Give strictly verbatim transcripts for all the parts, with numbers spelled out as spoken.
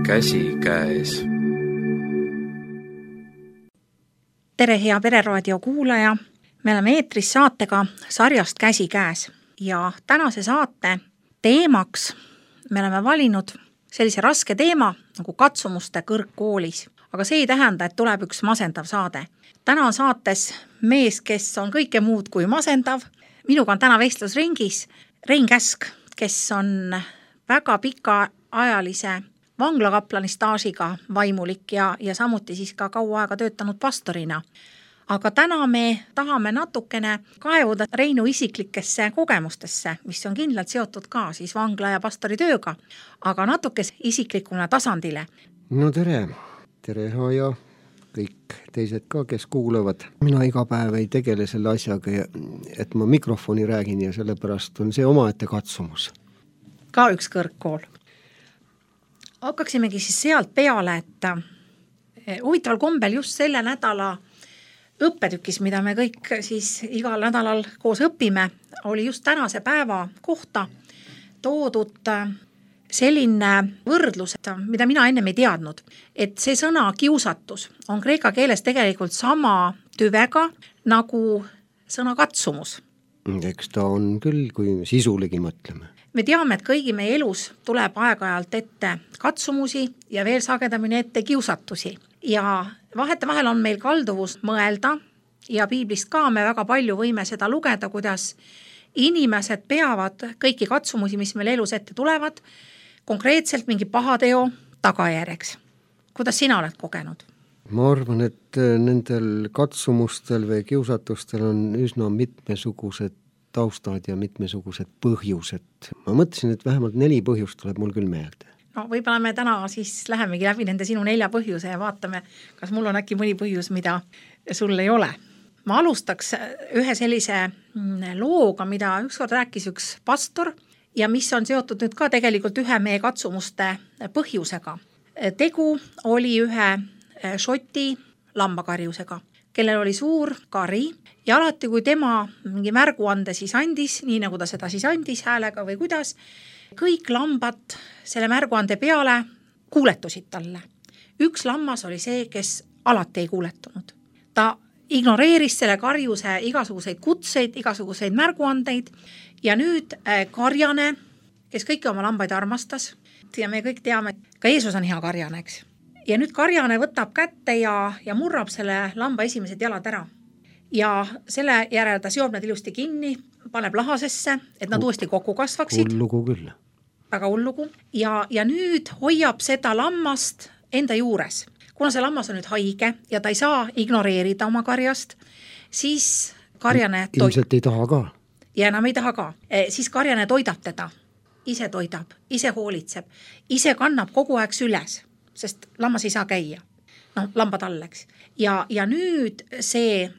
käsikäes. Tere, hea Pereraadio kuulaja! Me oleme eetris saatega sarjast Käsikäes ja tänase saate teemaks me oleme valinud sellise raske teema nagu katsumuste kõrgkoolis. Aga see ei tähenda, et tuleb üks masendav saade. Täna on saates mees, kes on kõike muud kui masendav. Minuga on täna vestlusringis Rein Käsk, kes on väga pika ajalise vanglakaplani staažiga vaimulik ja, ja samuti siis ka kaua aega töötanud pastorina. Aga täna me tahame natukene kaevuda Reinu isiklikesse kogemustesse, mis on kindlalt seotud ka siis vangla ja pastori tööga, aga natuke isiklikuna tasandile. No tere, tere ja kõik teised ka, kes kuulavad. Mina iga päev ei tegele selle asjaga, et ma mikrofoni räägin ja sellepärast on see omaette katsumus. Ka üks kõrgkool. Hakkaksimegi siis sealt peale, et huvitaval kombel just selle nädala õppetükis, mida me kõik siis igal nädalal koos õpime, oli just tänase päeva kohta toodud selline võrdlus, mida mina ennem ei teadnud, et see sõna kiusatus on kreeka keeles tegelikult sama tüvega nagu sõna katsumus. Eks ta on küll, kui sisulegi mõtleme. Me teame, et kõigi meie elus tuleb aeg-ajalt ette katsumusi ja veel sagedamini ette kiusatusi. Ja vahete vahel on meil kalduvus mõelda ja piiblist ka me väga palju võime seda lugeda, kuidas inimesed peavad kõiki katsumusi, mis meil elus ette tulevad, konkreetselt mingi pahateo tagajärjeks. Kuidas sina oled kogenud? Ma arvan, et nendel katsumustel või kiusatustel on üsna mitmesugused taustad ja mitmesugused põhjused. Ma mõtlesin, et vähemalt neli põhjust tuleb mul küll meelde. No võib-olla me täna siis lähemegi läbi nende sinu nelja põhjuse ja vaatame, kas mul on äkki mõni põhjus, mida sul ei ole. Ma alustaks ühe sellise looga, mida ükskord rääkis üks pastor ja mis on seotud nüüd ka tegelikult ühe meie katsumuste põhjusega. Tegu oli ühe šoti lambakarjusega, kellel oli suur kari ja alati, kui tema mingi märguande siis andis, nii nagu ta seda siis andis häälega või kuidas, kõik lambad selle märguande peale kuuletusid talle. Üks lammas oli see, kes alati ei kuuletunud. Ta ignoreeris selle karjuse igasuguseid kutseid, igasuguseid märguandeid ja nüüd karjane, kes kõiki oma lambaid armastas, ja me kõik teame, et ka Jeesus on hea karjane, eks. Ja nüüd karjane võtab kätte ja, ja murrab selle lamba esimesed jalad ära. Ja selle järel ta seob need ilusti kinni, paneb lahasesse, et nad uuesti kokku kasvaksid. Hullugu küll. Väga hullugu. Ja, ja nüüd hoiab seda lammast enda juures. Kuna see lammas on nüüd haige ja ta ei saa ignoreerida oma karjast, siis karjane toidab. Ilmselt ei taha ka. Ja enam ei taha ka. E, siis karjane toidab teda. Ise toidab, ise hoolitseb, ise kannab kogu aeg süles, sest lammas ei saa käia. No, lamba talleks. Ja, ja nüüd see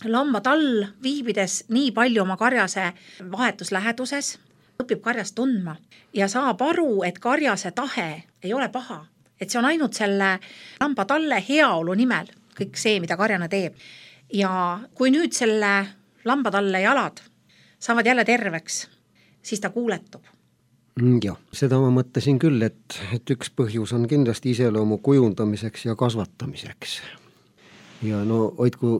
lamba tall viibides nii palju oma karjase vahetusläheduses, õpib karjast tundma ja saab aru, et karjase tahe ei ole paha. Et see on ainult selle lamba talle heaolu nimel, kõik see, mida karjane teeb. Ja kui nüüd selle lamba talle jalad saavad jälle terveks, siis ta kuuletub. Jah, seda ma mõtlesin küll, et, et üks põhjus on kindlasti iseloomu kujundamiseks ja kasvatamiseks. Ja no hoidku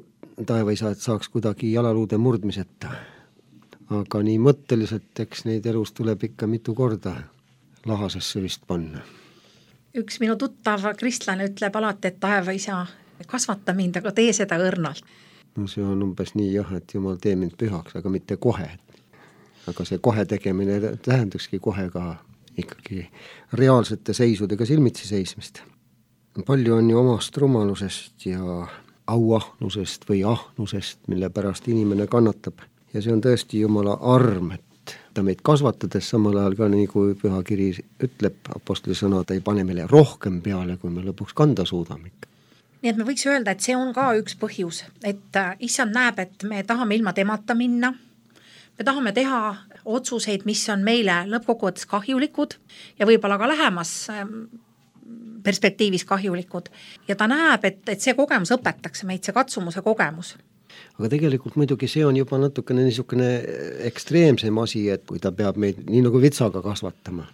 taevaisa, et saaks kuidagi jalaluude murdmiseta. Aga nii mõtteliselt, eks neid elus tuleb ikka mitu korda lahasesse vist panna. Üks minu tuttav kristlane ütleb alati, et taevaisa kasvata mind, aga tee seda õrnalt. No see on umbes nii jah, et Jumal tee mind pühaks, aga mitte kohe. Aga see kohe tegemine tähendakski kohe ka ikkagi reaalsete seisudega silmitsi seismist. Palju on ju omast rumalusest ja auahnusest või ahnusest, mille pärast inimene kannatab. Ja see on tõesti Jumala arm, et ta meid kasvatades samal ajal ka nii kui pühakiri ütleb, apostli sõna, ta ei pane meile rohkem peale, kui me lõpuks kanda suudame. Nii et me võiks öelda, et see on ka üks põhjus, et issand näeb, et me tahame ilma temata minna. Me tahame teha otsuseid, mis on meile lõppkokkuvõttes kahjulikud ja võib-olla ka lähemas perspektiivis kahjulikud. Ja ta näeb, et, et see kogemus õpetakse meid, see katsumuse kogemus. Aga tegelikult muidugi see on juba natukene niisugune ekstreemsem asi, et kui ta peab meid nii nagu vitsaga kasvatama.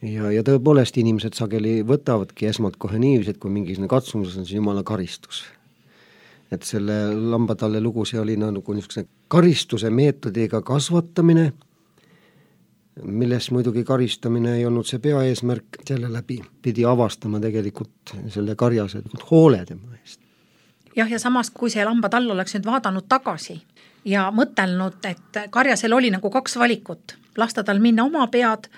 ja, ja tõepoolest inimesed sageli võtavadki esmalt kohe niiviisi, et kui mingisugune katsumus on, siis jumala karistus. Et selle lambatalle lugu, see oli nagu niisugune karistuse meetodiga kasvatamine, milles muidugi karistamine ei olnud see peaeesmärk, selle läbi pidi avastama tegelikult selle karjase hoole tema eest. Jah, ja samas, kui see lambatall oleks nüüd vaadanud tagasi ja mõtelnud, et karjasel oli nagu kaks valikut, lasta tal minna oma pead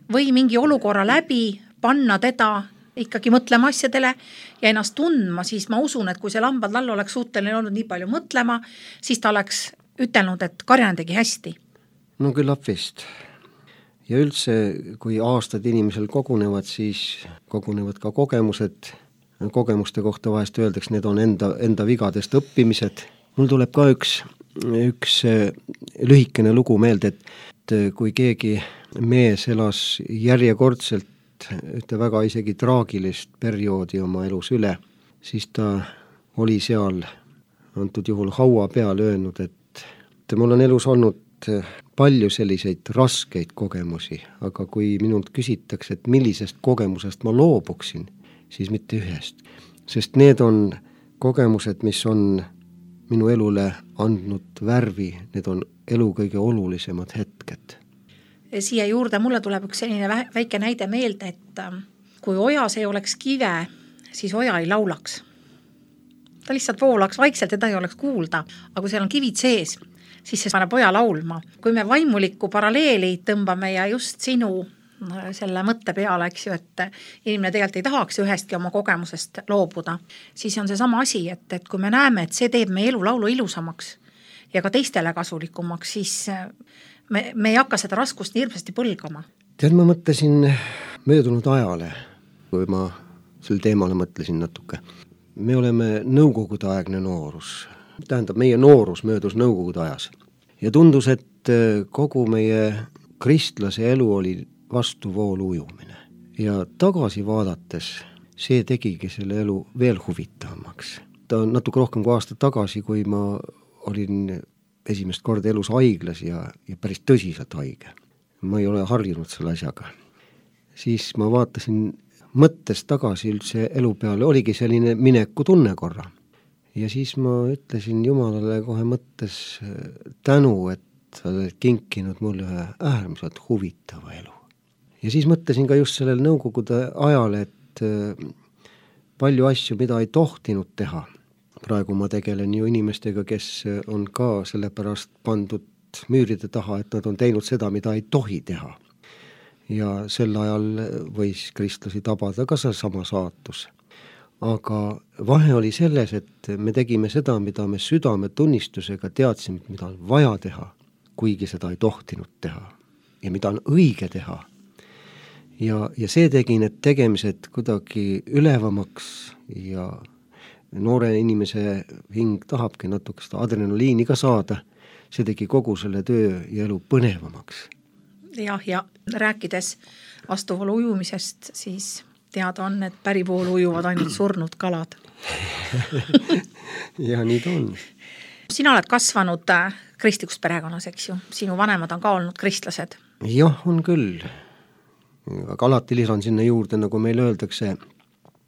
või mingi olukorra läbi, panna teda ikkagi mõtlema asjadele ja ennast tundma, siis ma usun, et kui see lambatall oleks suuteline olnud nii palju mõtlema, siis ta oleks ütelnud, et karjane tegi hästi. No küllap vist. Ja üldse, kui aastad inimesel kogunevad, siis kogunevad ka kogemused. Kogemuste kohta vahest öeldaks, need on enda, enda vigadest õppimised. Mul tuleb ka üks, üks lühikene lugu meelde, et kui keegi mees elas järjekordselt ühte väga isegi traagilist perioodi oma elus üle, siis ta oli seal antud juhul haua peal öelnud, et mul on elus olnud palju selliseid raskeid kogemusi, aga kui minult küsitakse, et millisest kogemusest ma loobuksin, siis mitte ühest. Sest need on kogemused, mis on minu elule andnud värvi, need on elu kõige olulisemad hetked. Siia juurde mulle tuleb üks selline väike näide meelde, et kui ojas ei oleks kive, siis oja ei laulaks. Ta lihtsalt voolaks vaikselt, teda ei oleks kuulda, aga kui seal on kivid sees, siis see paneb oja laulma. Kui me vaimulikku paralleeli tõmbame ja just sinu selle mõtte peale, eks ju, et inimene tegelikult ei tahaks ühestki oma kogemusest loobuda, siis on see sama asi, et, et kui me näeme, et see teeb meie elu laulu ilusamaks ja ka teistele kasulikumaks, siis me, me ei hakka seda raskust nii hirmsasti põlgama. Tead, ma mõtlesin möödunud ajale, kui ma sel teemale mõtlesin natuke. Me oleme nõukogude aegne noorus. Tähendab, meie noorus möödus nõukogude ajas. Ja tundus, et kogu meie kristlase elu oli vastuvoolu ujumine. Ja tagasi vaadates see tegigi selle elu veel huvitavamaks. Ta on natuke rohkem kui aasta tagasi, kui ma olin esimest korda elus haiglas ja, ja päris tõsiselt haige. Ma ei ole harjunud selle asjaga. Siis ma vaatasin mõttes tagasi üldse elu peale, oligi selline mineku tunne korra. Ja siis ma ütlesin Jumalale kohe mõttes tänu, et sa oled kinkinud mulle ühe äärmiselt huvitava elu. Ja siis mõtlesin ka just sellel nõukogude ajal, et palju asju, mida ei tohtinud teha. Praegu ma tegelen ju inimestega, kes on ka sellepärast pandud müüride taha, et nad on teinud seda, mida ei tohi teha. Ja sel ajal võis kristlasi tabada ka sama saatus. Aga vahe oli selles, et me tegime seda, mida me südame tunnistusega teadsime, mida on vaja teha, kuigi seda ei tohtinud teha ja mida on õige teha. Ja, ja see tegi need tegemised kuidagi ülevamaks ja noore inimese hing tahabki natuke seda adrenaliini ka saada. See tegi kogu selle töö ja elu põnevamaks. Jah, ja rääkides vastuvoolu ujumisest, siis teada on, et pärivoolu ujuvad ainult surnud kalad. Ja nii ta on. Sina oled kasvanud kristlikust perekonnas, eks ju? Sinu vanemad on ka olnud kristlased. Jah, on küll. Aga alati lisan sinna juurde, nagu meil öeldakse,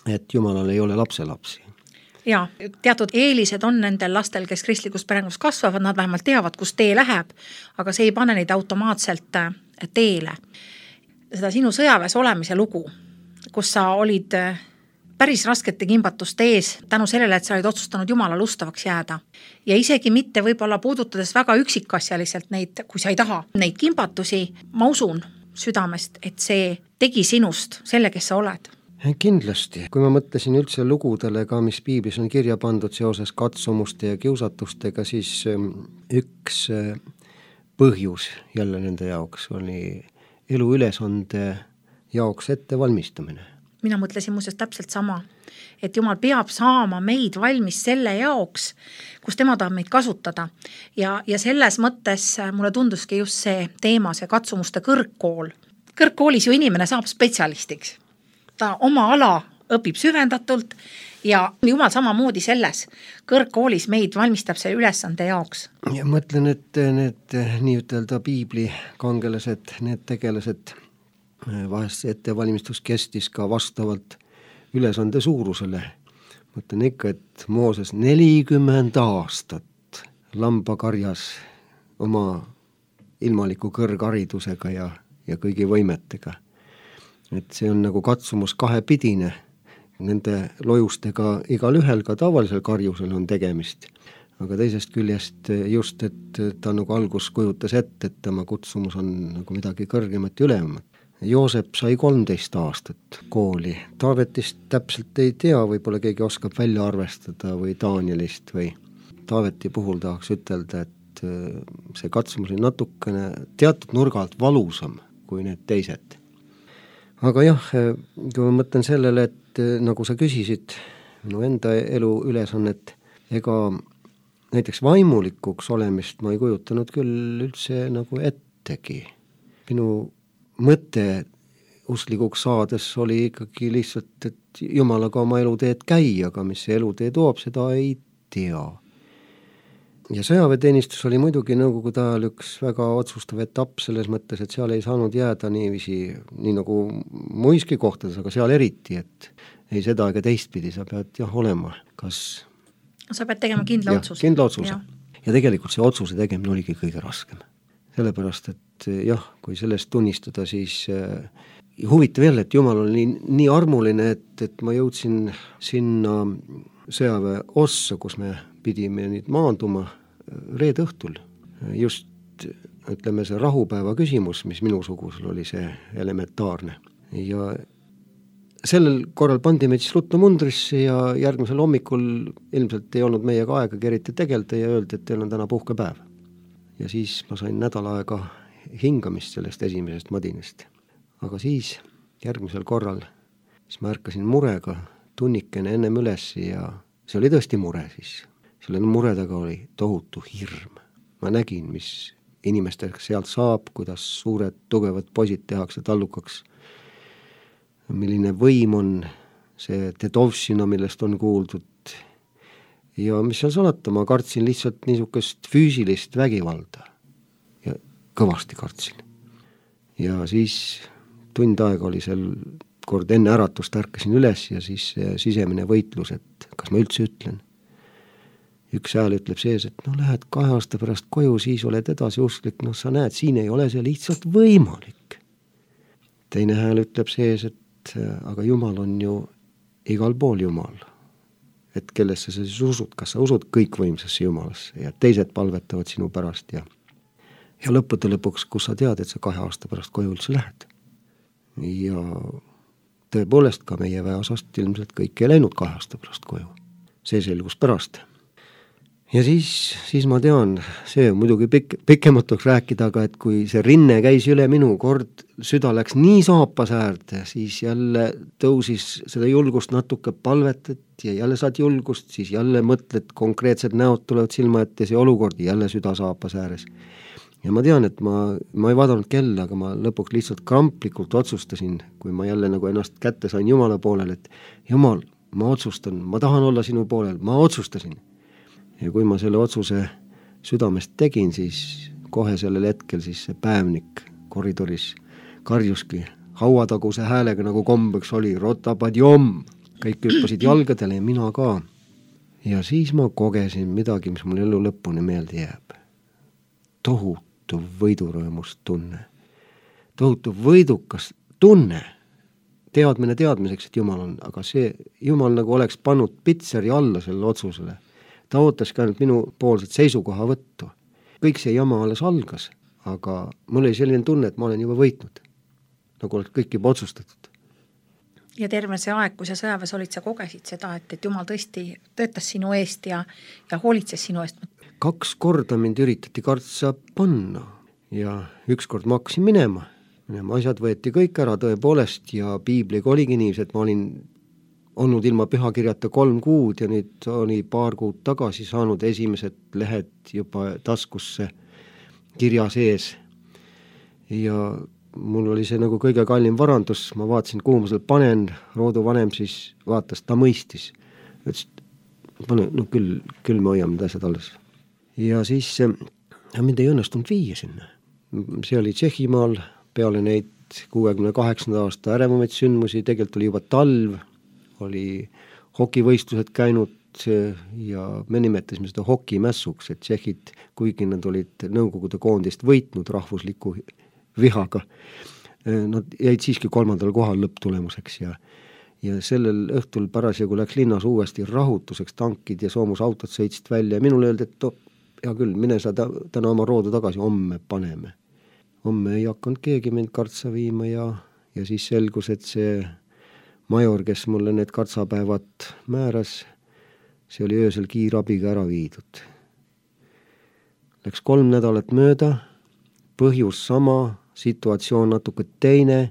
et Jumalal ei ole lapselapsi. Ja, teatud eelised on nendel lastel, kes kristlikus perekonnas kasvavad, nad vähemalt teavad, kus tee läheb, aga see ei pane neid automaatselt teele. Seda sinu sõjaväes olemise lugu, kus sa olid päris raskete kimbatuste ees tänu sellele, et sa olid otsustanud Jumalale ustavaks jääda. Ja isegi mitte võib-olla puudutades väga üksikasjaliselt neid, kui sa ei taha neid kimbatusi, ma usun südamest, et see tegi sinust selle, kes sa oled. Kindlasti, kui ma mõtlesin üldse lugudele ka, mis piiblis on kirja pandud seoses katsumuste ja kiusatustega, siis üks põhjus jälle nende jaoks oli elu ülesande jaoks ette valmistamine. Mina mõtlesin muuseas täpselt sama, et Jumal peab saama meid valmis selle jaoks, kus tema tahab meid kasutada. Ja, ja selles mõttes mulle tunduski just see teema, see katsumuste kõrgkool. Kõrgkoolis ju inimene saab spetsialistiks. Ta oma ala õpib süvendatult ja Jumal samamoodi selles kõrgkoolis meid valmistab selle ülesande jaoks. Ja mõtlen, et need nii ütelda piibli kangelased, need tegelased vahest see ettevalmistus kestis ka vastavalt ülesande suurusele. Mõtlen ikka, et Mooses nelikümmend aastat lambakarjas oma ilmaliku kõrgharidusega ja, ja kõigi võimetega. Et see on nagu katsumus kahepidine. Nende lojustega igal ühel ka tavalisel karjusel on tegemist. Aga teisest küljest just, et ta nagu algus kujutas ette, et tema kutsumus on nagu midagi kõrgemat ja ülemat. Joosep sai kolmteist aastat kooli. Taavetist täpselt ei tea, võib-olla keegi oskab välja arvestada või Danielist või Taaveti puhul tahaks ütelda, et see katsumus oli natukene teatud nurga alt valusam kui need teised. Aga jah, kui ma mõtlen sellele, et nagu sa küsisid minu enda elu ülesannet, ega näiteks vaimulikuks olemist ma ei kujutanud küll üldse nagu ettegi. Minu mõte usklikuks saades oli ikkagi lihtsalt, et Jumalaga oma eluteed käi, aga mis see elutee toob, seda ei tea. Ja sõjaväeteenistus oli muidugi nõukogude ajal üks väga otsustav etapp selles mõttes, et seal ei saanud jääda niiviisi, nii nagu muiski kohtades, aga seal eriti, et ei seda ega teistpidi, sa pead jah olema, kas sa pead tegema kindla ja, otsuse. kindla otsuse. Ja. ja tegelikult see otsuse tegemine oligi kõige raskem. Sellepärast, et jah, kui sellest tunnistada, siis äh, huvitav jälle, et Jumal oli nii, nii armuline, et, et ma jõudsin sinna sõjaväe ossa, kus me pidime nüüd maanduma reede õhtul. Just, ütleme, see rahupäeva küsimus, mis minu sugusel oli see elementaarne. Ja sellel korral pandi meid siis ruttu mundrisse ja järgmisel hommikul ilmselt ei olnud meiega aega eriti tegelda ja öeldi, et teil on täna puhkepäev. Ja siis ma sain nädal aega hingamist sellest esimesest madinast. Aga siis järgmisel korral siis ma ärkasin murega tunnikene ennem üles ja see oli tõesti mure siis. Selle mure taga oli tohutu hirm. Ma nägin, mis inimestega sealt saab, kuidas suured tugevad poisid tehakse tallukaks, milline võim on see Tedovšina, millest on kuuldud. Ja mis seal salata, ma kartsin lihtsalt niisugust füüsilist vägivalda. Ja kõvasti kartsin. Ja siis tund aega oli seal kord enne äratust ärkasin üles ja siis sisemine võitlus, et kas ma üldse ütlen. Üks hääl ütleb sees, et no lähed kahe aasta pärast koju, siis oled edasi usklik, no sa näed, siin ei ole see lihtsalt võimalik. Teine hääl ütleb sees, et aga Jumal on ju igal pool Jumal. Et kellesse sa siis usud, kas sa usud kõikvõimsasse Jumalasse ja teised palvetavad sinu pärast ja, ja lõppude lõpuks, kus sa tead, et sa kahe aasta pärast koju üldse lähed. Ja tõepoolest ka meie väeosast ilmselt kõik ei läinud kahe aasta pärast koju. See selgus pärast. Ja siis, siis ma tean, see on muidugi pik, pikematuks rääkida, aga et kui see rinne käis üle minu kord, süda läks nii saapas äärde, siis jälle tõusis seda julgust natuke palvetet ja jälle saad julgust, siis jälle mõtled, konkreetsed näod tulevad silma ette see olukord, jälle süda saapas ääres. Ja ma tean, et ma, ma ei vaadanud kella, aga ma lõpuks lihtsalt kramplikult otsustasin, kui ma jälle nagu ennast kätte sain Jumala poolel, et Jumal, ma otsustan, ma tahan olla sinu poolel, ma otsustasin. Ja kui ma selle otsuse südamest tegin, siis kohe sellel hetkel siis see päevnik koridoris karjuski hauataguse häälega nagu kombeks oli, rotapadjom, kõik hüppasid jalgadele ja mina ka. Ja siis ma kogesin midagi, mis mul elu lõpuni meelde jääb. Tohutu võidurõõmust tunne. Tohutu võidukas tunne. Teadmine teadmiseks, et Jumal on, aga see Jumal nagu oleks pannud pitseri alla selle otsusele. Ta ootaski ainult minu poolset seisukoha võttu. Kõik see jama alles algas, aga mul oli selline tunne, et ma olen juba võitnud. Nagu oleks kõik juba otsustatud. Ja terve see aeg, kui sa sõjaväes olid, sa kogesid seda, et, et Jumal tõesti töötas sinu eest ja, ja hoolitses sinu eest. Kaks korda mind üritati kartsa panna ja üks kord ma hakkasin minema. minema. Asjad võeti kõik ära tõepoolest ja piibliga oligi nii, et ma olin olnud ilma pühakirjata kolm kuud ja nüüd oli paar kuud tagasi saanud esimesed lehed juba taskusse kirja sees. Ja mul oli see nagu kõige kallim varandus, ma vaatasin, kuhu ma seal panen, rooduvanem siis vaatas, ta mõistis. Ütles, pane, no küll, küll me hoiame need asjad alles. Ja siis ja mind ei õnnestunud viia sinna. See oli Tšehhimaal, peale neid kuuekümne kaheksanda aasta ärevumaid sündmusi, tegelikult oli juba talv, oli hokivõistlused käinud ja me nimetasime seda hokimässuks, et tšehhid, kuigi nad olid Nõukogude koondist võitnud rahvusliku vihaga, nad jäid siiski kolmandal kohal lõpptulemuseks ja ja sellel õhtul parasjagu läks linnas uuesti rahutuseks, tankid ja soomusautod sõitsid välja ja minule öeldi, et oh, hea küll, mine sa ta, täna oma roodu tagasi, homme paneme. Homme ei hakanud keegi mind kartsa viima ja, ja siis selgus, et see major, kes mulle need kartsapäevad määras, see oli öösel kiirabiga ära viidud. Läks kolm nädalat mööda, põhjus sama, situatsioon natuke teine,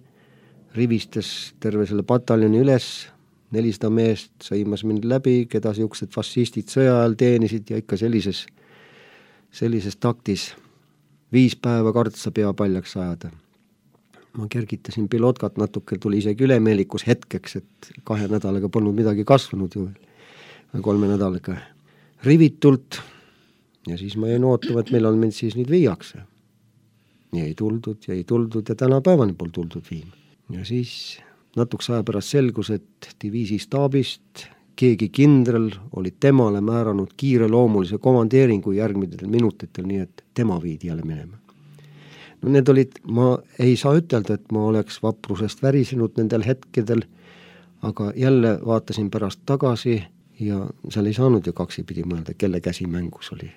rivistas terve selle pataljoni üles, nelisada meest sõimas mind läbi, keda siuksed fašistid sõja ajal teenisid ja ikka sellises, sellises taktis viis päeva kartsa pea paljaks ajada. Ma kergitasin pilotkat natuke, tuli isegi ülemeelikus hetkeks, et kahe nädalaga polnud midagi kasvanud ju, kolme nädalaga rivitult ja siis ma jäin ootama, et millal mind siis nüüd viiakse. Ja ei tuldud ja ei tuldud ja täna päevani pol tuldud viima. Ja siis natuks aja pärast selgus, et diviisi staabist keegi kindral oli temale määranud kiireloomulise komandeeringu järgmidel minutitel, nii et tema viidi jälle minema. No need olid, ma ei saa ütelda, et ma oleks vaprusest värisenud nendel hetkedel, aga jälle vaatasin pärast tagasi ja seal ei saanud ju kaksipidi mõelda, kelle käsi mängus oli.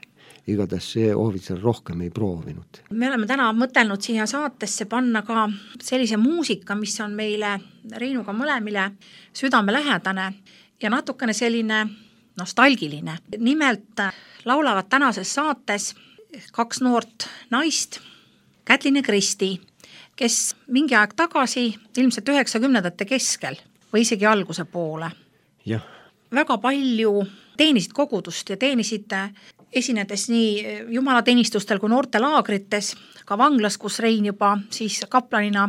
Igatahes see ohvitser rohkem ei proovinud. Me oleme täna mõtelnud siia saatesse panna ka sellise muusika, mis on meile Reinuga mõlemile südamelähedane ja natukene selline nostalgiline. Nimelt laulavad tänases saates kaks noort naist, Kätlin ja Kristi, kes mingi aeg tagasi, ilmselt üheksakümnendate keskel või isegi alguse poole. Jah. Väga palju teenisid kogudust ja teenisid esinedes nii jumalateenistustel kui noortelaagrites, ka vanglas, kus Rein juba siis kaplanina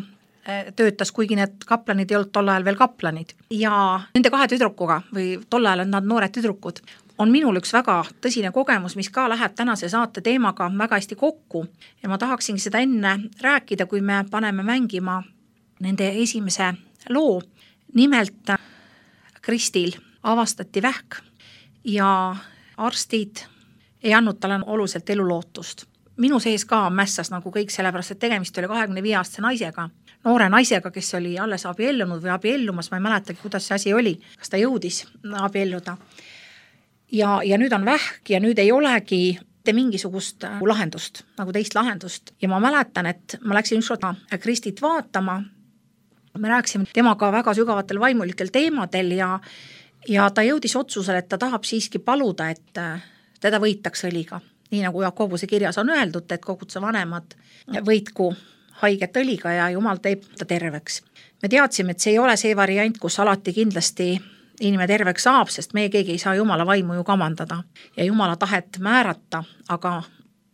töötas, kuigi need kaplanid ei olnud tol ajal veel kaplanid. Ja nende kahe tüdrukuga või tol ajal on nad noored tüdrukud, on minul üks väga tõsine kogemus, mis ka läheb tänase saate teemaga väga hästi kokku. Ja ma tahaksingi seda enne rääkida, kui me paneme mängima nende esimese loo. Nimelt Kristil avastati vähk ja arstid ei andnud talle oluliselt elulootust. Minu sees ka mässas nagu kõik, sellepärast, et tegemist oli kahekümne viie aastase naisega, noore naisega, kes oli alles abiellunud või abiellumas, ma ei mäletagi, kuidas see asi oli, kas ta jõudis abielluda. Ja, ja nüüd on vähk ja nüüd ei olegi te mingisugust lahendust, nagu teist lahendust. Ja ma mäletan, et ma läksin ükskord Kristit vaatama, me rääkisime temaga väga sügavatel vaimulikel teemadel ja, ja ta jõudis otsusele, et ta tahab siiski paluda, et teda võitaks õliga. Nii nagu Jakobuse kirjas on öeldud, et koguduse vanemad võitku haiget õliga ja Jumal teeb ta terveks. Me teadsime, et see ei ole see variant, kus alati kindlasti inimene terveks saab, sest meie keegi ei saa Jumala vaimu ju kamandada ja Jumala tahet määrata, aga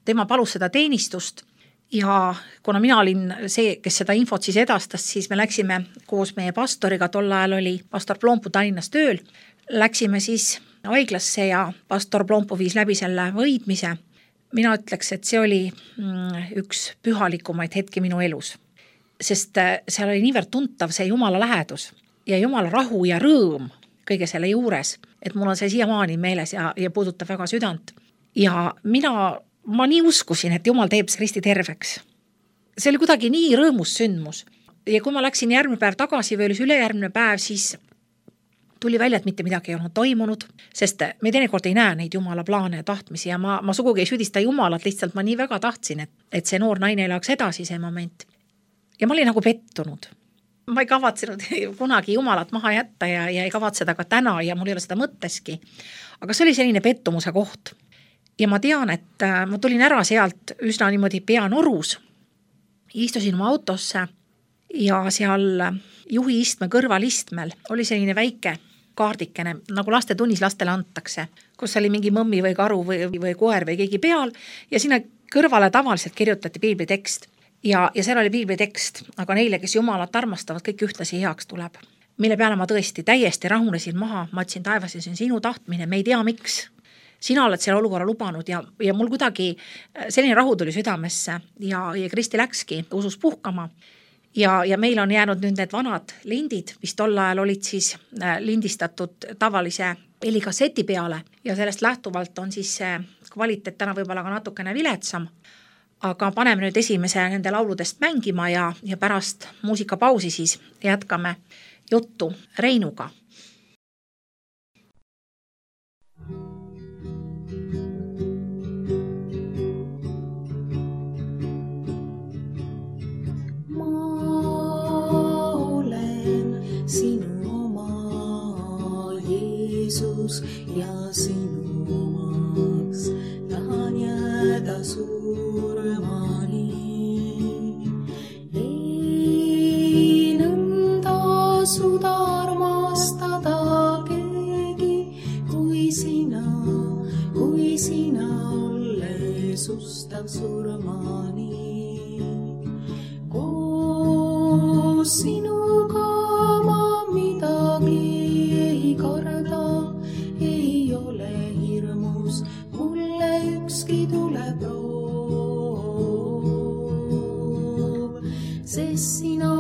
tema palus seda teenistust ja kuna mina olin see, kes seda infot siis edastas, siis me läksime koos meie pastoriga, tol ajal oli pastor Plompu Tallinnas tööl, läksime siis haiglasse ja pastor Plompu viis läbi selle võidmise. Mina ütleks, et see oli üks pühalikumaid hetki minu elus, sest seal oli niivõrd tuntav see Jumala lähedus ja Jumala rahu ja rõõm kõige selle juures, et mul on see siiamaani meeles ja, ja puudutab väga südant. Ja mina, ma nii uskusin, et Jumal teeb Kristi terveks. See oli kuidagi nii rõõmus sündmus. Ja kui ma läksin järgmine päev tagasi või oli ülejärgmine päev, siis tuli välja, et mitte midagi ei olnud toimunud, sest me teinekord ei näe neid Jumala plaane ja tahtmisi ja ma, ma sugugi ei süüdista Jumalat, lihtsalt ma nii väga tahtsin, et, et see noor naine elaks edasi see moment. Ja ma olin nagu pettunud. Ma ei kavatsenud kunagi Jumalat maha jätta ja, ja ei kavatseda ka täna ja mul ei ole seda mõtteski. Aga see oli selline pettumuse koht. Ja ma tean, et ma tulin ära sealt üsna niimoodi peanorus, istusin oma autosse ja seal juhi istme kõrvalistmel oli selline väike kaardikene, nagu laste tunnis lastele antakse, kus oli mingi mõmmi või karu või, või koer või keegi peal ja sinna kõrvale tavaliselt kirjutati piiblitekst ja, ja seal oli piiblitekst, aga neile, kes Jumalat armastavad, kõik ühtlasi heaks tuleb. Mille peale ma tõesti täiesti rahunesin maha, ma ütlesin taevas ja see on sinu tahtmine, me ei tea miks. Sina oled selle olukorra lubanud ja, ja mul kuidagi selline rahu tuli südamesse ja, ja Kristi läkski usus puhkama. ja, ja meil on jäänud nüüd need vanad lindid, mis tol ajal olid siis lindistatud tavalise helikasseti peale ja sellest lähtuvalt on siis see kvaliteet täna võib-olla ka natukene viletsam, aga paneme nüüd esimese nende lauludest mängima ja, ja pärast muusikapausi siis jätkame juttu Reinuga. Sinu oma Jeesus ja sinu omaks tahan jääda surmani. Ei nõnda suuda armastada keegi kui sina, kui sina olles ustav surmani. Koos sinuga ei karda, ei ole hirmus, mulle ükski tuleb roov. Sest sina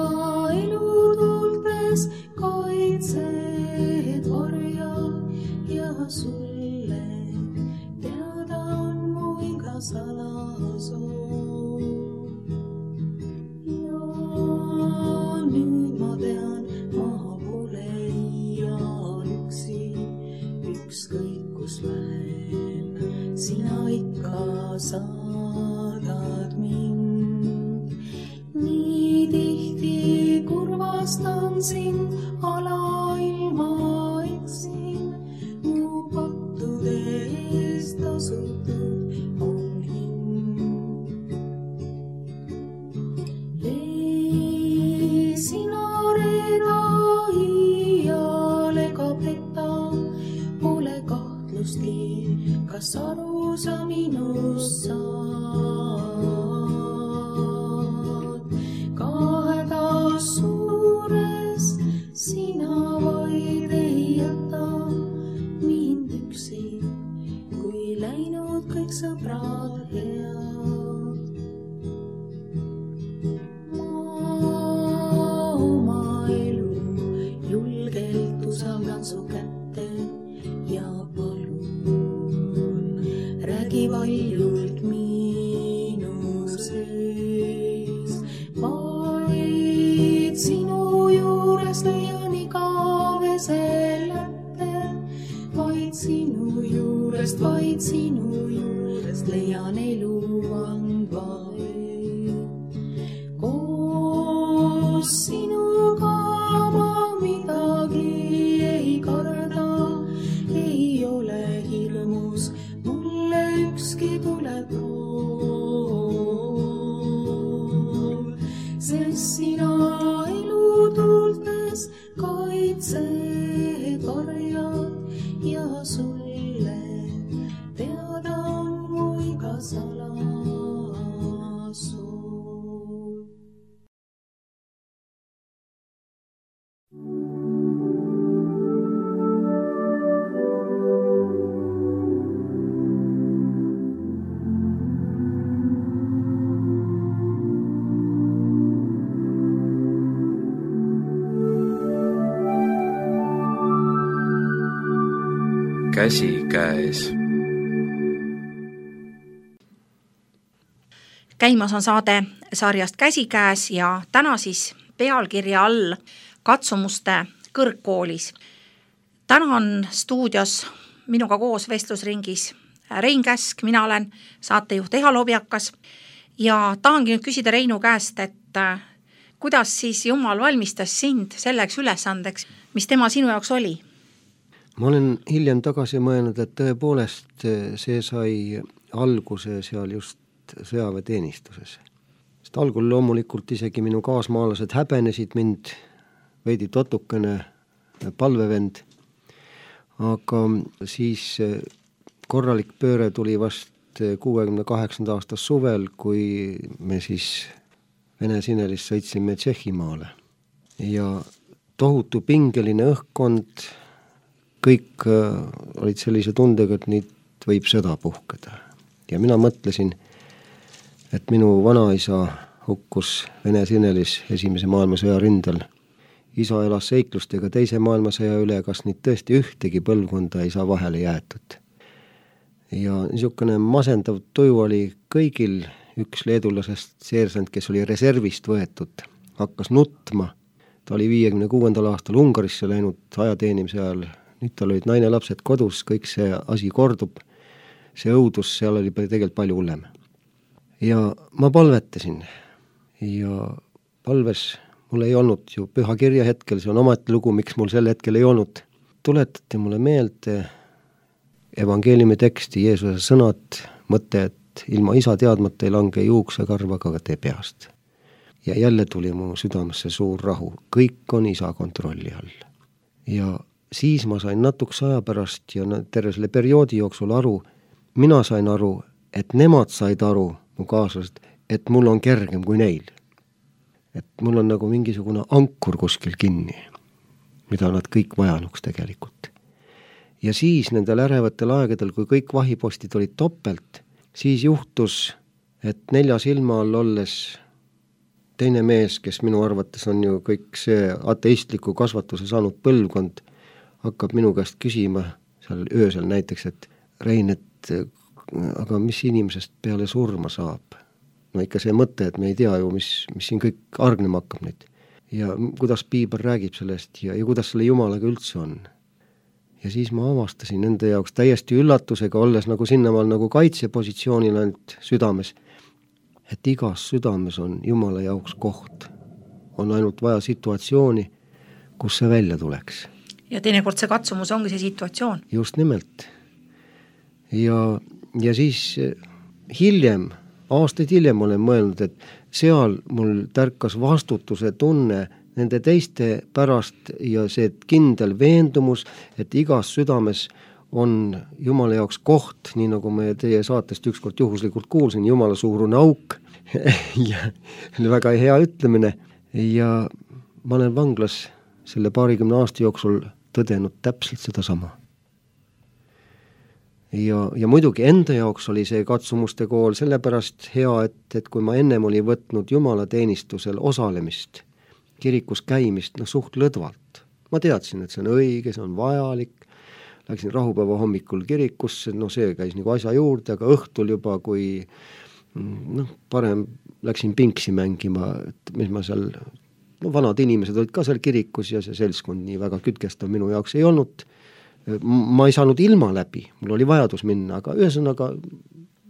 elutuldes kaitsed varjal ja sulle teada on mu iga salasoov. Ja nüüd ma tean, ma ükskõik kus lähen, sina ikka saadad mind. Nii tihti kurvastan sind, alailma eksin, mu pattude eest tasutud on hind. Ei sina reeda iial ega peta, pole kahtlustki, kas aru sa minust saad. Ka hädas suures sina vaid ei jäta mind üksi, kui läinud kõik sõbrad head. Ma oma elu julgelt usaldan su kätte ja palun, räägi valjult minu sees. Vaid sinu juures leian igavese lätte, vaid sinu juurest, vaid sinu juurest leian elu andvaid. Koos sinuga ma midagi ei karda, ei ole hirmus, mulle ükski tuleb roov. Sest sina elutultes kaitsed varjad ja sulle teada on mu iga salasoov. Käsikäes. Käimas on saade sarjast Käsikäes ja täna siis pealkirja all katsumuste kõrgkoolis. Täna on stuudios minuga koos vestlusringis Rein Käsk, mina olen saatejuht Eha Lobjakas ja tahangi nüüd küsida Reinu käest, et kuidas siis Jumal valmistas sind selleks ülesandeks, mis tema sinu jaoks oli? Ma olen hiljem tagasi mõelnud, et tõepoolest see sai alguse seal just sõjaväeteenistuses. Sest algul loomulikult isegi minu kaasmaalased häbenesid mind, veidi totukene palvevend, aga siis korralik pööre tuli vast kuuekümne kaheksanda aasta suvel, kui me siis Vene Sinelist sõitsime Tšehhimaale. Ja tohutu pingeline õhkkond, kõik olid sellise tundega, et nüüd võib sõda puhkeda. Ja mina mõtlesin, et minu vanaisa hukkus Vene Sinelis esimese maailmasõja rindel. Isa elas seiklustega teise maailmasõja üle, kas nüüd tõesti ühtegi põlvkonda ei saa vahele jäetud. Ja niisugune masendav tuju oli kõigil. Üks leedulasest seersant, kes oli reservist võetud, hakkas nutma. Ta oli viiekümne kuuendal aastal Ungarisse läinud ajateenimise ajal. Nüüd tal olid naine lapsed kodus, kõik see asi kordub. See õudus seal oli tegelikult palju hullem. Ja ma palvetasin. Ja palves mul ei olnud ju püha kirja hetkel, see on omati lugu, miks mul sel hetkel ei olnud. Tuletati mulle meelde evangeeliumi teksti, Jeesuse sõnad, mõte, et ilma isa teadmata ei lange juuksekarvaga ka tee peast. Ja jälle tuli mu südamesse suur rahu. Kõik on isa kontrolli all. Ja siis ma sain natuks aja pärast ja terve selle perioodi jooksul aru, mina sain aru, et nemad said aru, mu kaaslased, et mul on kergem kui neil. Et mul on nagu mingisugune ankur kuskil kinni, mida nad kõik vajanuks tegelikult. Ja siis nendel ärevatel aegadel, kui kõik vahipostid olid topelt, siis juhtus, et nelja silma all olles teine mees, kes minu arvates on ju kõik see ateistliku kasvatuse saanud põlvkond, hakkab minu käest küsima seal öösel näiteks, et Rein, et aga mis inimesest peale surma saab? No ikka see mõte, et me ei tea ju, mis, mis siin kõik argnema hakkab nüüd. Ja kuidas piibel räägib sellest ja, ja kuidas selle Jumalaga üldse on. Ja siis ma avastasin nende jaoks täiesti üllatusega, olles nagu sinnamaal nagu kaitsepositsioonil ainult südames, et igas südames on Jumala jaoks koht. On ainult vaja situatsiooni, kus see välja tuleks. Ja teinekord see katsumus ongi see situatsioon. Just nimelt. Ja, ja siis hiljem, aastaid hiljem olen mõelnud, et seal mul tärkas vastutuse tunne nende teiste pärast ja see kindel veendumus, et igas südames on Jumala jaoks koht, nii nagu me teie saatest ükskord juhuslikult kuulsin, Jumala suurune auk ja väga hea ütlemine ja ma olen vanglas selle paarikümne aasta jooksul tõdenud täpselt seda sama. Ja, ja muidugi enda jaoks oli see katsumuste kool sellepärast hea, et, et kui ma ennem oli võtnud Jumala teenistusel osalemist, kirikus käimist, no suht lõdvalt. Ma teadsin, et see on õige, see on vajalik. Läksin rahupäeva hommikul kirikusse, no see käis nagu asja juurde, aga õhtul juba, kui noh, parem läksin pinksi mängima, et mis ma seal, no vanad inimesed olid ka seal kirikus ja see seltskond nii väga kütkestav minu jaoks ei olnud. Ma ei saanud ilma läbi, mul oli vajadus minna, aga ühesõnaga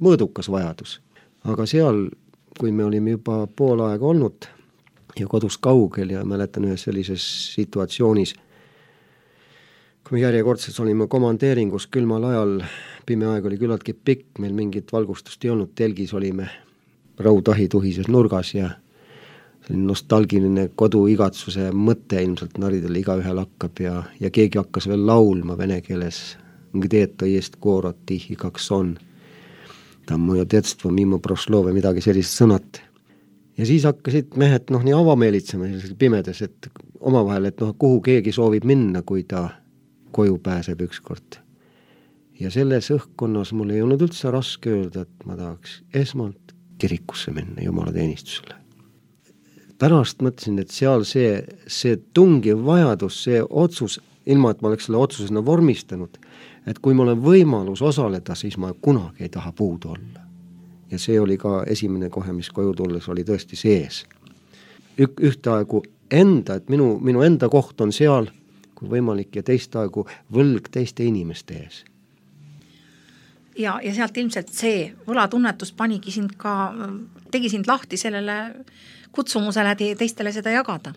mõõdukas vajadus. Aga seal, kui me olime juba pool aega olnud ja kodus kaugel ja mäletan ühes sellises situatsioonis, kui me järjekordselt olime komandeeringus külmal ajal, pime aeg oli küllaltki pikk, meil mingit valgustust ei olnud, telgis olime rautahi tuhises nurgas ja nostalgiline koduigatsuse mõte ilmselt naridel igaühel hakkab ja, ja keegi hakkas veel laulma vene keeles, где-то есть город тихий, как сон. Там moja детство mimo prošlo või midagi sellist sõnat. Ja siis hakkasid mehed noh, nii avameelitsema pimedas, et omavahel, et noh, kuhu keegi soovib minna, kui ta koju pääseb ükskord. Ja selles õhkkonnas mul ei olnud üldse raske öelda, et ma tahaks esmalt kirikusse minna Jumala teenistusele. Pärast mõtlesin, et seal see, see tungiv vajadus, see otsus, ilma et ma oleks selle otsusena vormistanud, et kui mul on võimalus osaleda, siis ma kunagi ei taha puudu olla. Ja see oli ka esimene kohe, mis koju tulles oli tõesti sees. Ük, ühtaegu enda, et minu, minu enda koht on seal, kui võimalik, ja teist aegu võlg teiste inimeste ees. Ja, ja sealt ilmselt see võlatunnetus panigi sind ka, tegi sind lahti sellele kutsumusele teistele seda jagada.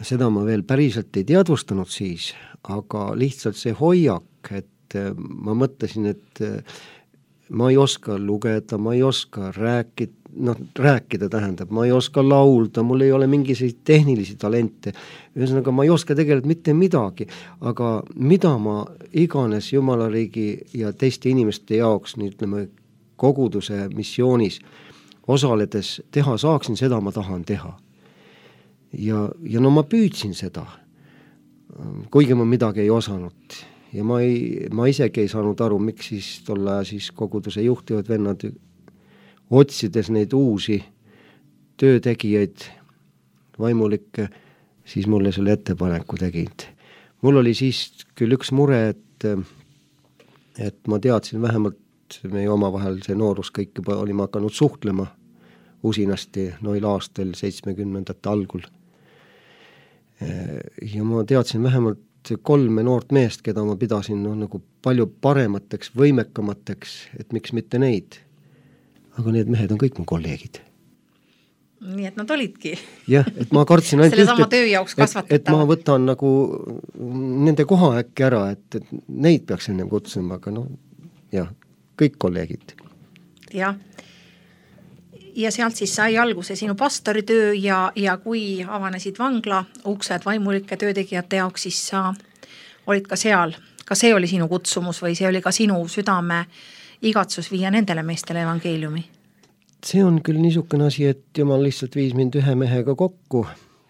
Seda ma veel päriselt ei teadvustanud siis, aga lihtsalt see hoiak, et ma mõtlesin, et ma ei oska lugeda, ma ei oska rääkida, noh, rääkida tähendab, ma ei oska laulda, mul ei ole mingisuguseid tehnilisi talente, ühesõnaga ma ei oska tegelikult mitte midagi, aga mida ma iganes Jumala riigi ja teiste inimeste jaoks, nii ütleme, koguduse missioonis osaledes teha saaksin, seda ma tahan teha. Ja, ja no ma püüdsin seda, kuigi ma midagi ei osanud. Ja ma, ei, ma isegi ei saanud aru, miks siis tolle siis koguduse juhtivad vennad otsides neid uusi töötegijaid, vaimulikke, siis mulle selle ettepaneku tegid. Mul oli siis küll üks mure, et, et ma teadsin vähemalt meie omavahel see noorus kõik juba olime hakanud suhtlema usinasti noil aastal seitsmekümnendate algul. Ja ma teadsin vähemalt kolme noort meest, keda ma pidasin no, nagu palju paremateks, võimekamateks, et miks mitte neid. Aga need mehed on kõik mu kolleegid. Nii et nad olidki. Jah, et ma kartsin ainult selle sama töö jaoks kasvatatavad. Et, et ma võtan nagu nende koha äkki ära, et, et neid peaks ennem kutsuma, aga no jah, kõik kolleegid. Jah. Ja sealt siis sai alguse sinu pastoritöö ja, ja kui avanesid vangla uksed vaimulike töötegijate jaoks, siis sa olid ka seal. Ka see oli sinu kutsumus või see oli ka sinu südame igatsus viia nendele meestele evangeeliumi? See on küll niisugune asi, et Jumal lihtsalt viis mind ühe mehega kokku,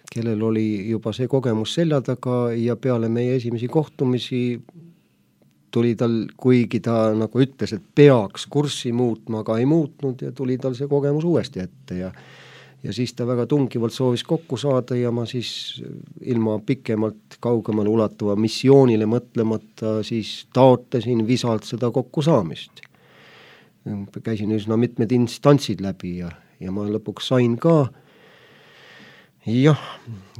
kellel oli juba see kogemus selja taga ja peale meie esimesi kohtumisi tuli tal, kuigi ta nagu ütles, et peaks kurssi muutma, aga ei muutnud ja tuli tal see kogemus uuesti ette ja ja siis ta väga tungivalt soovis kokku saada ja ma siis ilma pikemalt kaugemale ulatuva missioonile mõtlemata siis taotlesin visalt seda kokkusaamist. Käisin üsna mitmed instantsid läbi ja, ja ma lõpuks sain ka. Jah,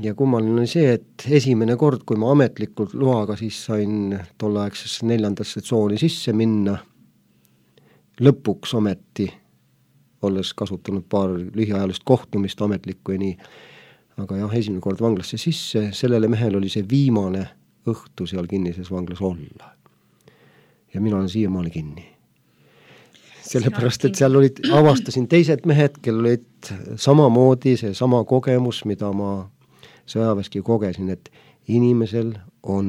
ja kummaline oli see, et esimene kord, kui ma ametlikult loaga siis sain tolleaegsesse neljandasse tsooni sisse minna, lõpuks ometi, olles kasutanud paar lühiajalist kohtumist ametlikku ja nii, aga jah, esimene kord vanglasse sisse, sellele mehel oli see viimane õhtu seal kinnises vanglas olla. Ja mina olen siiamaale kinni. Sellepärast, et seal olid, avastasin teised mehed, kel olid samamoodi see sama kogemus, mida ma sõjaväeski kogesin, et inimesel on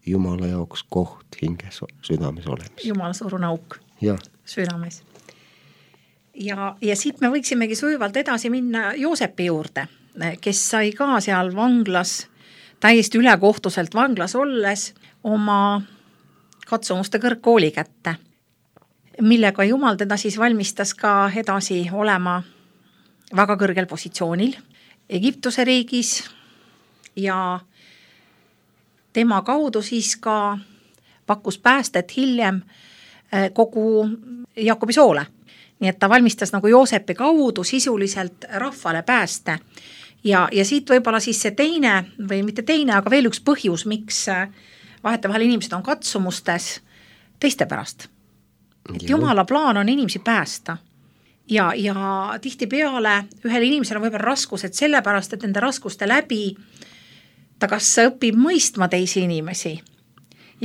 Jumala jaoks koht hinges südames olemas. Jumala suurune auk ja. Südames. Ja, ja siit me võiksimegi sujuvalt edasi minna Joosepi juurde, kes sai ka seal vanglas, täiesti ülekohtuselt vanglas olles, oma katsumuste kõrgkooli kätte, millega Jumal teda siis valmistas ka edasi olema väga kõrgel positsioonil Egiptuse riigis ja tema kaudu siis ka pakkus päästet hiljem kogu Jaakobi soole. Nii et ta valmistas nagu Joosepi kaudu sisuliselt rahvale pääste. Ja, ja siit võib-olla siis see teine või mitte teine, aga veel üks põhjus, miks vahetevahel inimesed on katsumustes teiste pärast. Et Jumala plaan on inimesi päästa ja, ja tihti peale ühel inimesel on võib-olla raskused sellepärast, et nende raskuste läbi ta kas õpib mõistma teisi inimesi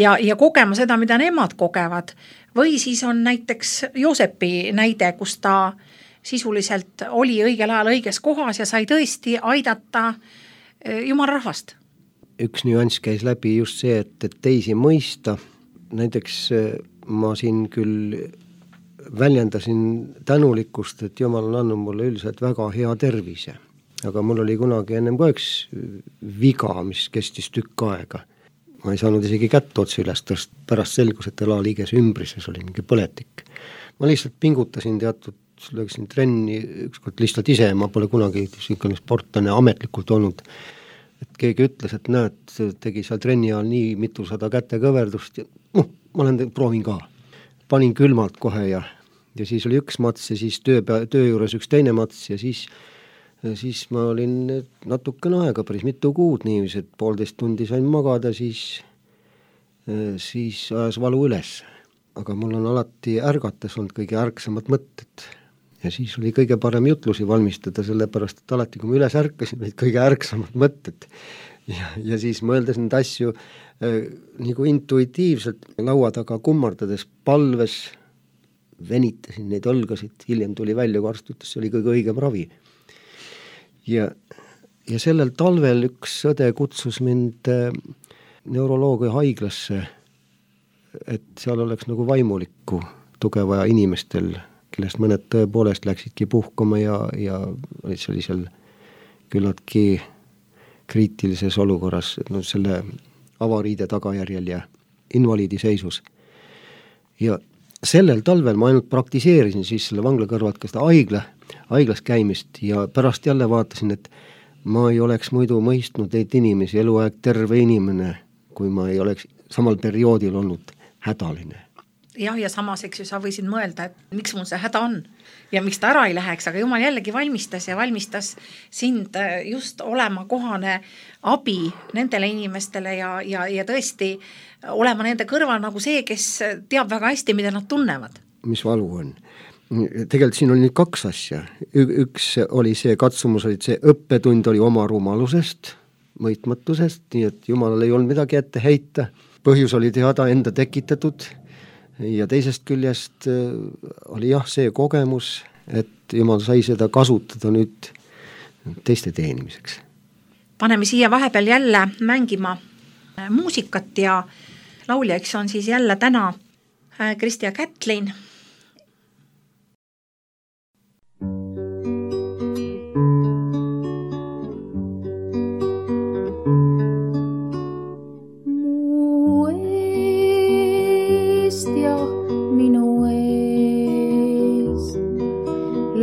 ja, ja kogema seda, mida nemad kogevad või siis on näiteks Joosepi näide, kus ta sisuliselt oli õigel ajal õiges kohas ja sai tõesti aidata Jumala rahvast. Üks nüanss käis läbi just see, et, et teisi mõista, näiteks ma siin küll väljendasin tänulikkust, et Jumal on andnud mulle üldiselt väga hea tervise. Aga mul oli kunagi ennem ka üks viga, mis kestis tükk aega. Ma ei saanud isegi kätt otsi üles, pärast selgus, et elaliiges ümbrises oli mingi põletik. Ma lihtsalt pingutasin teatud, lõgsin trenni ükskord lihtsalt ise, ma pole kunagi siukene sportlane ametlikult olnud. Et keegi ütles, et näed, tegi seal trenni ajal nii mitusada kätekõverdust ja noh, ma olen, proovin ka. Panin külmalt kohe ja, ja siis oli üks mats ja siis töö, töö juures üks teine mats ja siis, siis ma olin natukene aega, päris mitu kuud niivis, et poolteist tundi sain magada, siis, siis ajas valu üles. Aga mul on alati ärgates olnud kõige ärksamad mõtted ja siis oli kõige parem jutlusi valmistada, sellepärast, et alati kui ma üles ärkasin, olid kõige ärksamad mõtted. Ja, ja siis mõeldes neid asju äh, nagu intuitiivselt laua taga kummardades palves, venitasin neid õlgasid, hiljem tuli välja, kui arst ütles, see oli kõige õigem ravi. Ja, ja sellel talvel üks õde kutsus mind äh, neuroloogia haiglasse, et seal oleks nagu vaimulikku tugevaja inimestel, kellest mõned tõepoolest läksidki puhkama ja, ja see oli seal küllaltki kriitilises olukorras, no selle avariide tagajärjel ja invaliidi seisus. Ja, sellel talvel ma ainult praktiseerisin siis selle vangla kõrvalt ka seda haigla, haiglas käimist ja pärast jälle vaatasin, et ma ei oleks muidu mõistnud neid inimesi, eluaeg terve inimene, kui ma ei oleks samal perioodil olnud hädaline. Jah, ja samas, eks ju, sa võisid mõelda, et miks mul see häda on ja miks ta ära ei läheks, aga Jumal jällegi valmistas ja valmistas sind just olema kohane abi nendele inimestele ja, ja, ja tõesti olema nende kõrval nagu see, kes teab väga hästi, mida nad tunnevad. Mis valu on? Tegelikult siin oli nüüd kaks asja. Üks oli see katsumus, oli see õppetund oli oma rumalusest, mõitmatusest, nii et Jumalal ei olnud midagi ette heita. Põhjus oli teada enda tekitatud ja teisest küljest oli jah see kogemus, et Jumal sai seda kasutada nüüd teiste teenimiseks. Paneme siia vahepeal jälle mängima muusikat ja lauljaks on siis jälle täna Kristi ja Kätlin.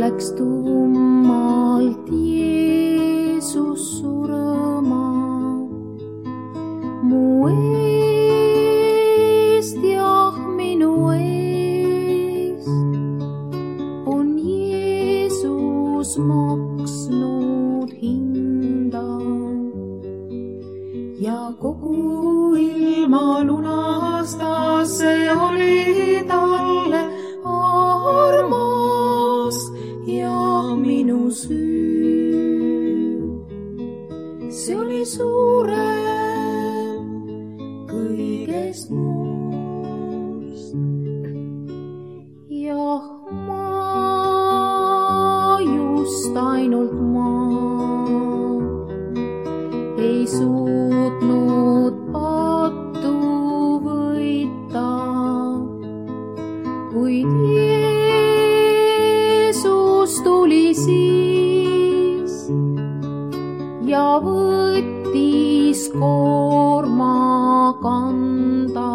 Läks tummalt Jeesus surema mu eest ja minu eest on Jeesus maksnud hinda ja kogu ilma lunastas see oli talle armas ja minu süü, see oli suurem kõigest muust. Jah, ma just ainult ma ei suutnud pattu võita, kuid tuli siis ja võttis koorma kanda.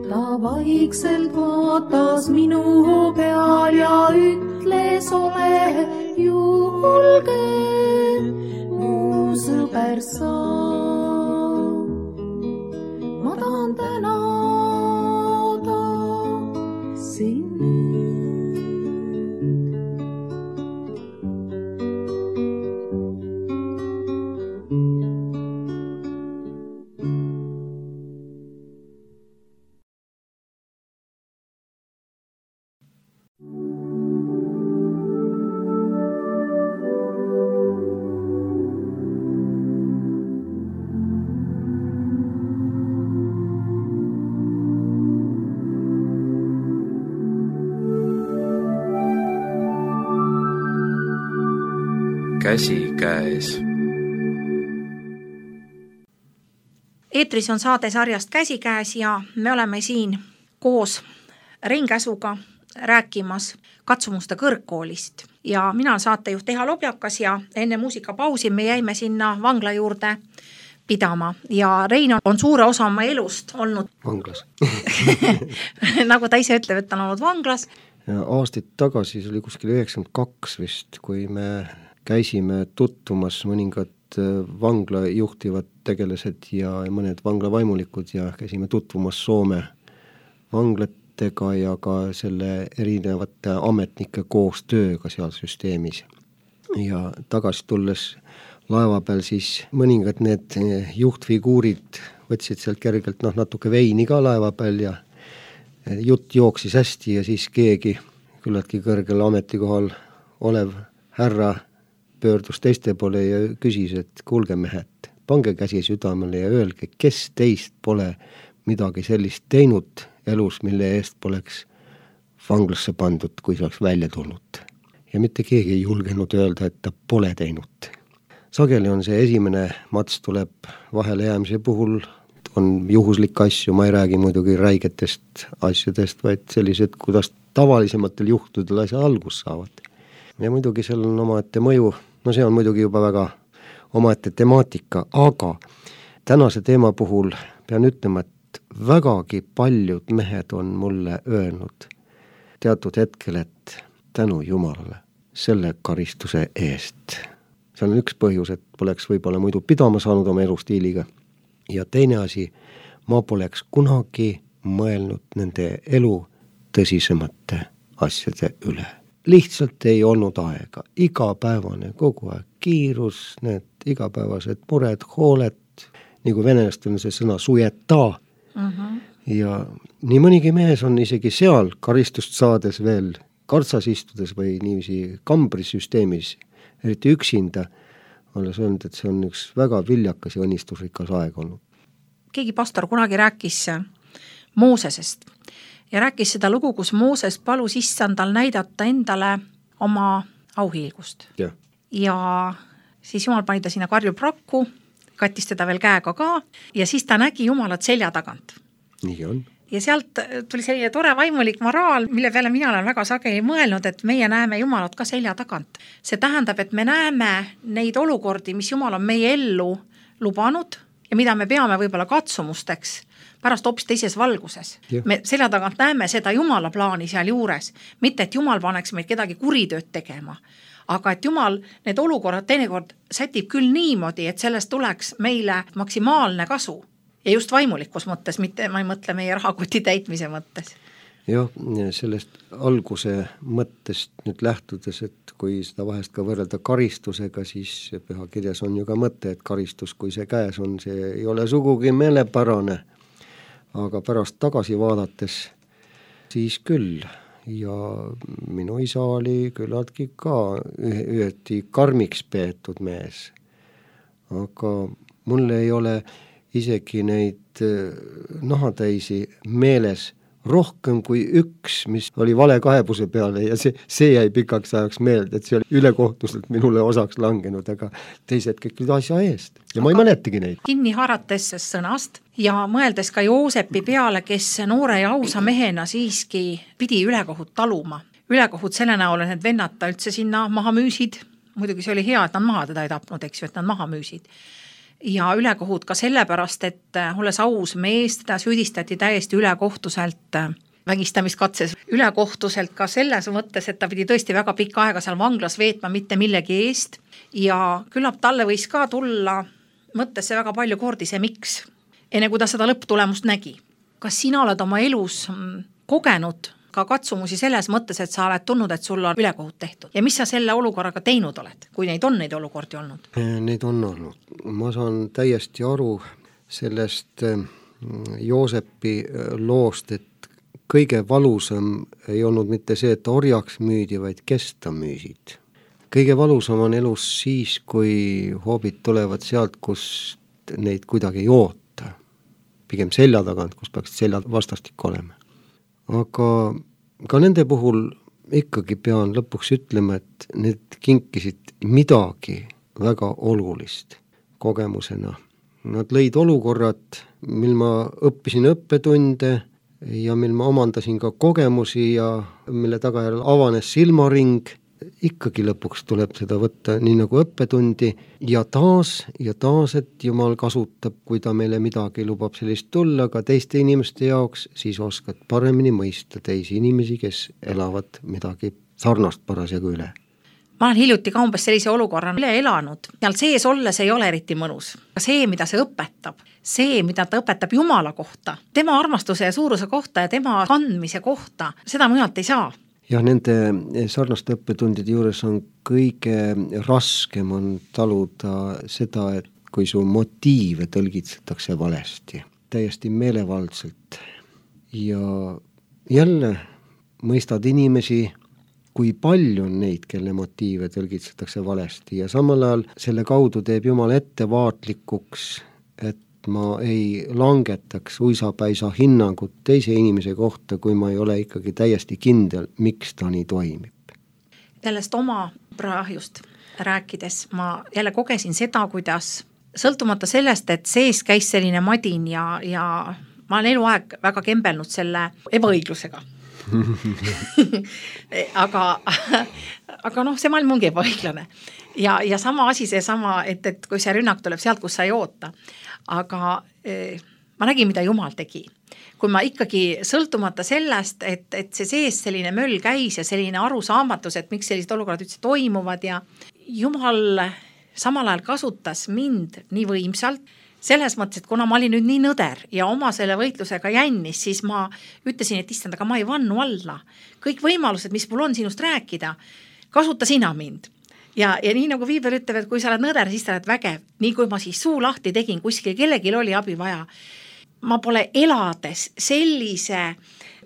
Ta vaikselt vaatas minu peal ja ütles, ole julge, mu sõber sa. Ma tahan tänada sind. Käsi käes. Eetris on saade sarjast Käsi käes ja me oleme siin koos Rein Käsuga rääkimas katsumuste kõrgkoolist. Ja mina olen saatejuht Eha Lobjakas ja enne muusikapausi me jäime sinna vangla juurde pidama. Ja Rein on suure osa oma elust olnud vanglas. nagu ta ise ütleb, et ta on olnud vanglas. Ja aastaid tagasi, see oli kuskil üheksakümmend kaks vist, kui me käisime tutvumas mõningad vangla juhtivad tegelased ja mõned vangla vaimulikud ja käisime tutvumas Soome vanglatega ja ka selle erinevate ametnike koostööga seal süsteemis. Ja tagasi tulles laeva peal siis mõningad need juhtfiguurid võtsid sealt kergelt noh, natuke veini ka laeva peal ja jutt jooksis hästi ja siis keegi küllaltki kõrgel ametikohal olev härra pöördus teiste poole ja küsis, et kuulge mehed, pange käsi südamele ja öelge, kes teist pole midagi sellist teinud elus, mille eest poleks vanglasse pandud, kui see oleks välja tulnud. Ja mitte keegi ei julgenud öelda, et ta pole teinud. Sageli on see esimene mats tuleb vahele jäämise puhul, on juhuslik asju, ma ei räägi muidugi räigetest asjadest, vaid sellised, kuidas tavalisematel juhtudel asja algus saavad. Ja muidugi seal on omaette mõju, no see on muidugi juba väga omaette temaatika, aga tänase teema puhul pean ütlema, et vägagi paljud mehed on mulle öelnud teatud hetkel, et tänu Jumalale selle karistuse eest. See on üks põhjus, et poleks võib-olla muidu pidama saanud oma elustiiliga. Ja teine asi, ma poleks kunagi mõelnud nende elu tõsisemate asjade üle. Lihtsalt ei olnud aega, igapäevane, kogu aeg kiirus, need igapäevased mured, hooled, nagu venelast on see sõna sujeta. Uh-huh. Ja nii mõnigi mees on isegi seal karistust saades veel kartsas istudes või niiviisi kambrisüsteemis, eriti üksinda, olles öelnud, et see on üks väga viljakas ja õnnistusrikas aeg olnud. Keegi pastor kunagi rääkis Moosesest ja rääkis seda lugu, kus Mooses palus issandal näidata endale oma auhiilgust. Ja. ja siis Jumal pani ta sinna karjuprakku, kattis teda veel käega ka ja siis ta nägi Jumalat selja tagant. Nii on. Ja sealt tuli selline tore vaimulik moraal, mille peale mina olen väga sageli mõelnud, et meie näeme Jumalat ka selja tagant. See tähendab, et me näeme neid olukordi, mis Jumal on meie ellu lubanud ja mida me peame võib-olla katsumusteks pärast hoopis teises valguses. Ja. Me selja tagant näeme seda Jumala plaani seal juures, mitte et Jumal paneks meid kedagi kuritööd tegema, aga et Jumal need olukorrad teinekord sätib küll niimoodi, et sellest tuleks meile maksimaalne kasu. Ja just vaimulikus mõttes, mitte ma ei mõtle meie rahakoti täitmise mõttes. Jah, sellest alguse mõttest nüüd lähtudes, et kui seda vahest ka võrrelda karistusega, siis pühakirjas on ju ka mõte, et karistus, kui see käes on, see ei ole sugugi meelepärane, aga pärast tagasi vaadates siis küll. Ja minu isa oli küllaltki ka üheti karmiks peetud mees, aga mul ei ole isegi neid nahatäisi meeles rohkem kui üks, mis oli vale kaebuse peale ja see, see jäi pikaks ajaks meelde, et see oli ülekohtuselt minule osaks langenud, aga teised kõik olid asja eest ja ma ei mäletagi neid. Kinni haarates sõnast ja mõeldes ka Joosepi peale, kes noore ja ausa mehena siiski pidi ülekohut taluma. Ülekohut selle näol, et need vennad ta üldse sinna maha müüsid, muidugi see oli hea, et nad maha teda ei tapnud, eks ju, et nad maha müüsid. Ja ülekohut ka sellepärast, et olles aus mees, teda süüdistati täiesti ülekohtuselt vägistamiskatses. Ülekohtuselt ka selles mõttes, et ta pidi tõesti väga pikka aega seal vanglas veetma mitte millegi eest ja küllap talle võis ka tulla mõttesse väga palju kordi see miks, enne kui ta seda lõpptulemust nägi. Kas sina oled oma elus kogenud ka katsumusi selles mõttes, et sa oled tulnud, et sul on ülekohut tehtud. Ja mis sa selle olukorraga teinud oled, kui neid on neid olukordi olnud? Neid on olnud. Ma saan täiesti aru sellest Joosepi loost, et kõige valusam ei olnud mitte see, et orjaks müüdi, vaid kes ta müüsid. Kõige valusam on elus siis, kui hoobid tulevad sealt, kus neid kuidagi ei oota. Pigem selja tagant, kus peaks selja vastastik olema. Aga ka nende puhul ikkagi pean lõpuks ütlema, et need kinkisid midagi väga olulist kogemusena. Nad lõid olukorrad, mil ma õppisin õppetunde ja mil ma omandasin ka kogemusi ja mille tagajärjel avanes silmaring. Ikkagi lõpuks tuleb seda võtta nii nagu õppetundi ja taas ja taas, et Jumal kasutab, kui ta meile midagi lubab sellist tulla, ka teiste inimeste jaoks, siis oskad paremini mõista teisi inimesi, kes elavad midagi sarnast parasjagu üle. Ma olen hiljuti ka umbes sellise olukorra üle elanud. Seal sees olles ei ole eriti mõnus. See, mida see õpetab, see, mida ta õpetab Jumala kohta, tema armastuse ja suuruse kohta ja tema kandmise kohta, seda mujalt ei saa. Ja nende sarnaste õppetundide juures on kõige raskem on taluda seda, et kui su motiive tõlgitsetakse valesti, täiesti meelevaldselt. Ja jälle mõistad inimesi, kui palju on neid, kelle motiive tõlgitsetakse valesti ja samal ajal selle kaudu teeb Jumal ettevaatlikuks, et ma ei langetaks uisapäisa hinnangut teise inimese kohta, kui ma ei ole ikkagi täiesti kindel, miks ta nii toimib. Sellest oma praahjust rääkides ma jälle kogesin seda, kuidas sõltumata sellest, et sees käis selline madin ja, ja ma olen eluaeg väga kembelnud selle ebaõiglusega. aga, aga noh, see maailm ongi ebaõiglane. Ja, ja sama asi see sama, et, et kui see rünnak tuleb sealt, kus sa ei oota. Aga eh, ma nägin, mida Jumal tegi. Kui ma ikkagi sõltumata sellest, et, et see sees selline möll käis ja selline arusaamatus, et miks sellised olukorrad üldse toimuvad ja Jumal samal ajal kasutas mind nii võimsalt, selles mõttes, et kuna ma olin nüüd nii nõder ja oma selle võitlusega jännis, siis ma ütlesin, et issand, aga ma ei vannu alla. Kõik võimalused, mis mul on sinust rääkida, kasuta sina mind. Ja, ja nii nagu Viibel ütleb, et kui sa oled nõder, siis sa oled vägev. Nii kui ma siis suu lahti tegin, kuskil kellelgi oli abi vaja. Ma pole elades sellise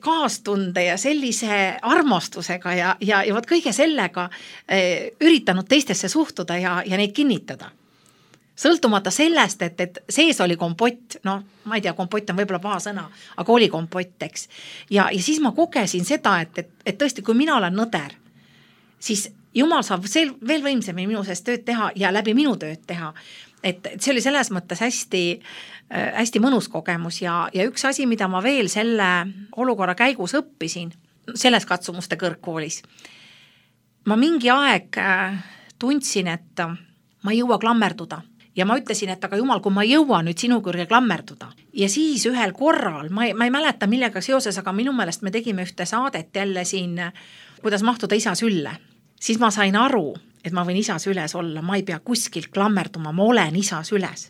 kaastunde ja sellise armastusega ja, ja, ja võt kõige sellega eh, üritanud teistesse suhtuda ja, ja neid kinnitada. Sõltumata sellest, et, et sees oli kompott, no ma ei tea, kompott on võib-olla paha sõna, aga oli kompott, eks. Ja, ja siis ma kogesin seda, et, et, et tõesti, kui mina olen nõder, siis Jumal saab veel võimsemini minu sees tööd teha ja läbi minu tööd teha. Et see oli selles mõttes hästi, hästi mõnus kogemus ja, ja üks asi, mida ma veel selle olukorra käigus õppisin, selles katsumuste kõrgkoolis. Ma mingi aeg tundsin, et ma ei jõua klammerduda. Ja ma ütlesin, et aga Jumal, kui ma jõuan nüüd sinu kõrge klammerduda. Ja siis ühel korral, ma ei, ma ei mäleta millega seoses, aga minu meelest me tegime ühte saadet jälle siin, kuidas mahtuda isa sülle. Siis ma sain aru, et ma võin isa süles olla, ma ei pea kuskil klammerduma, ma olen isa süles.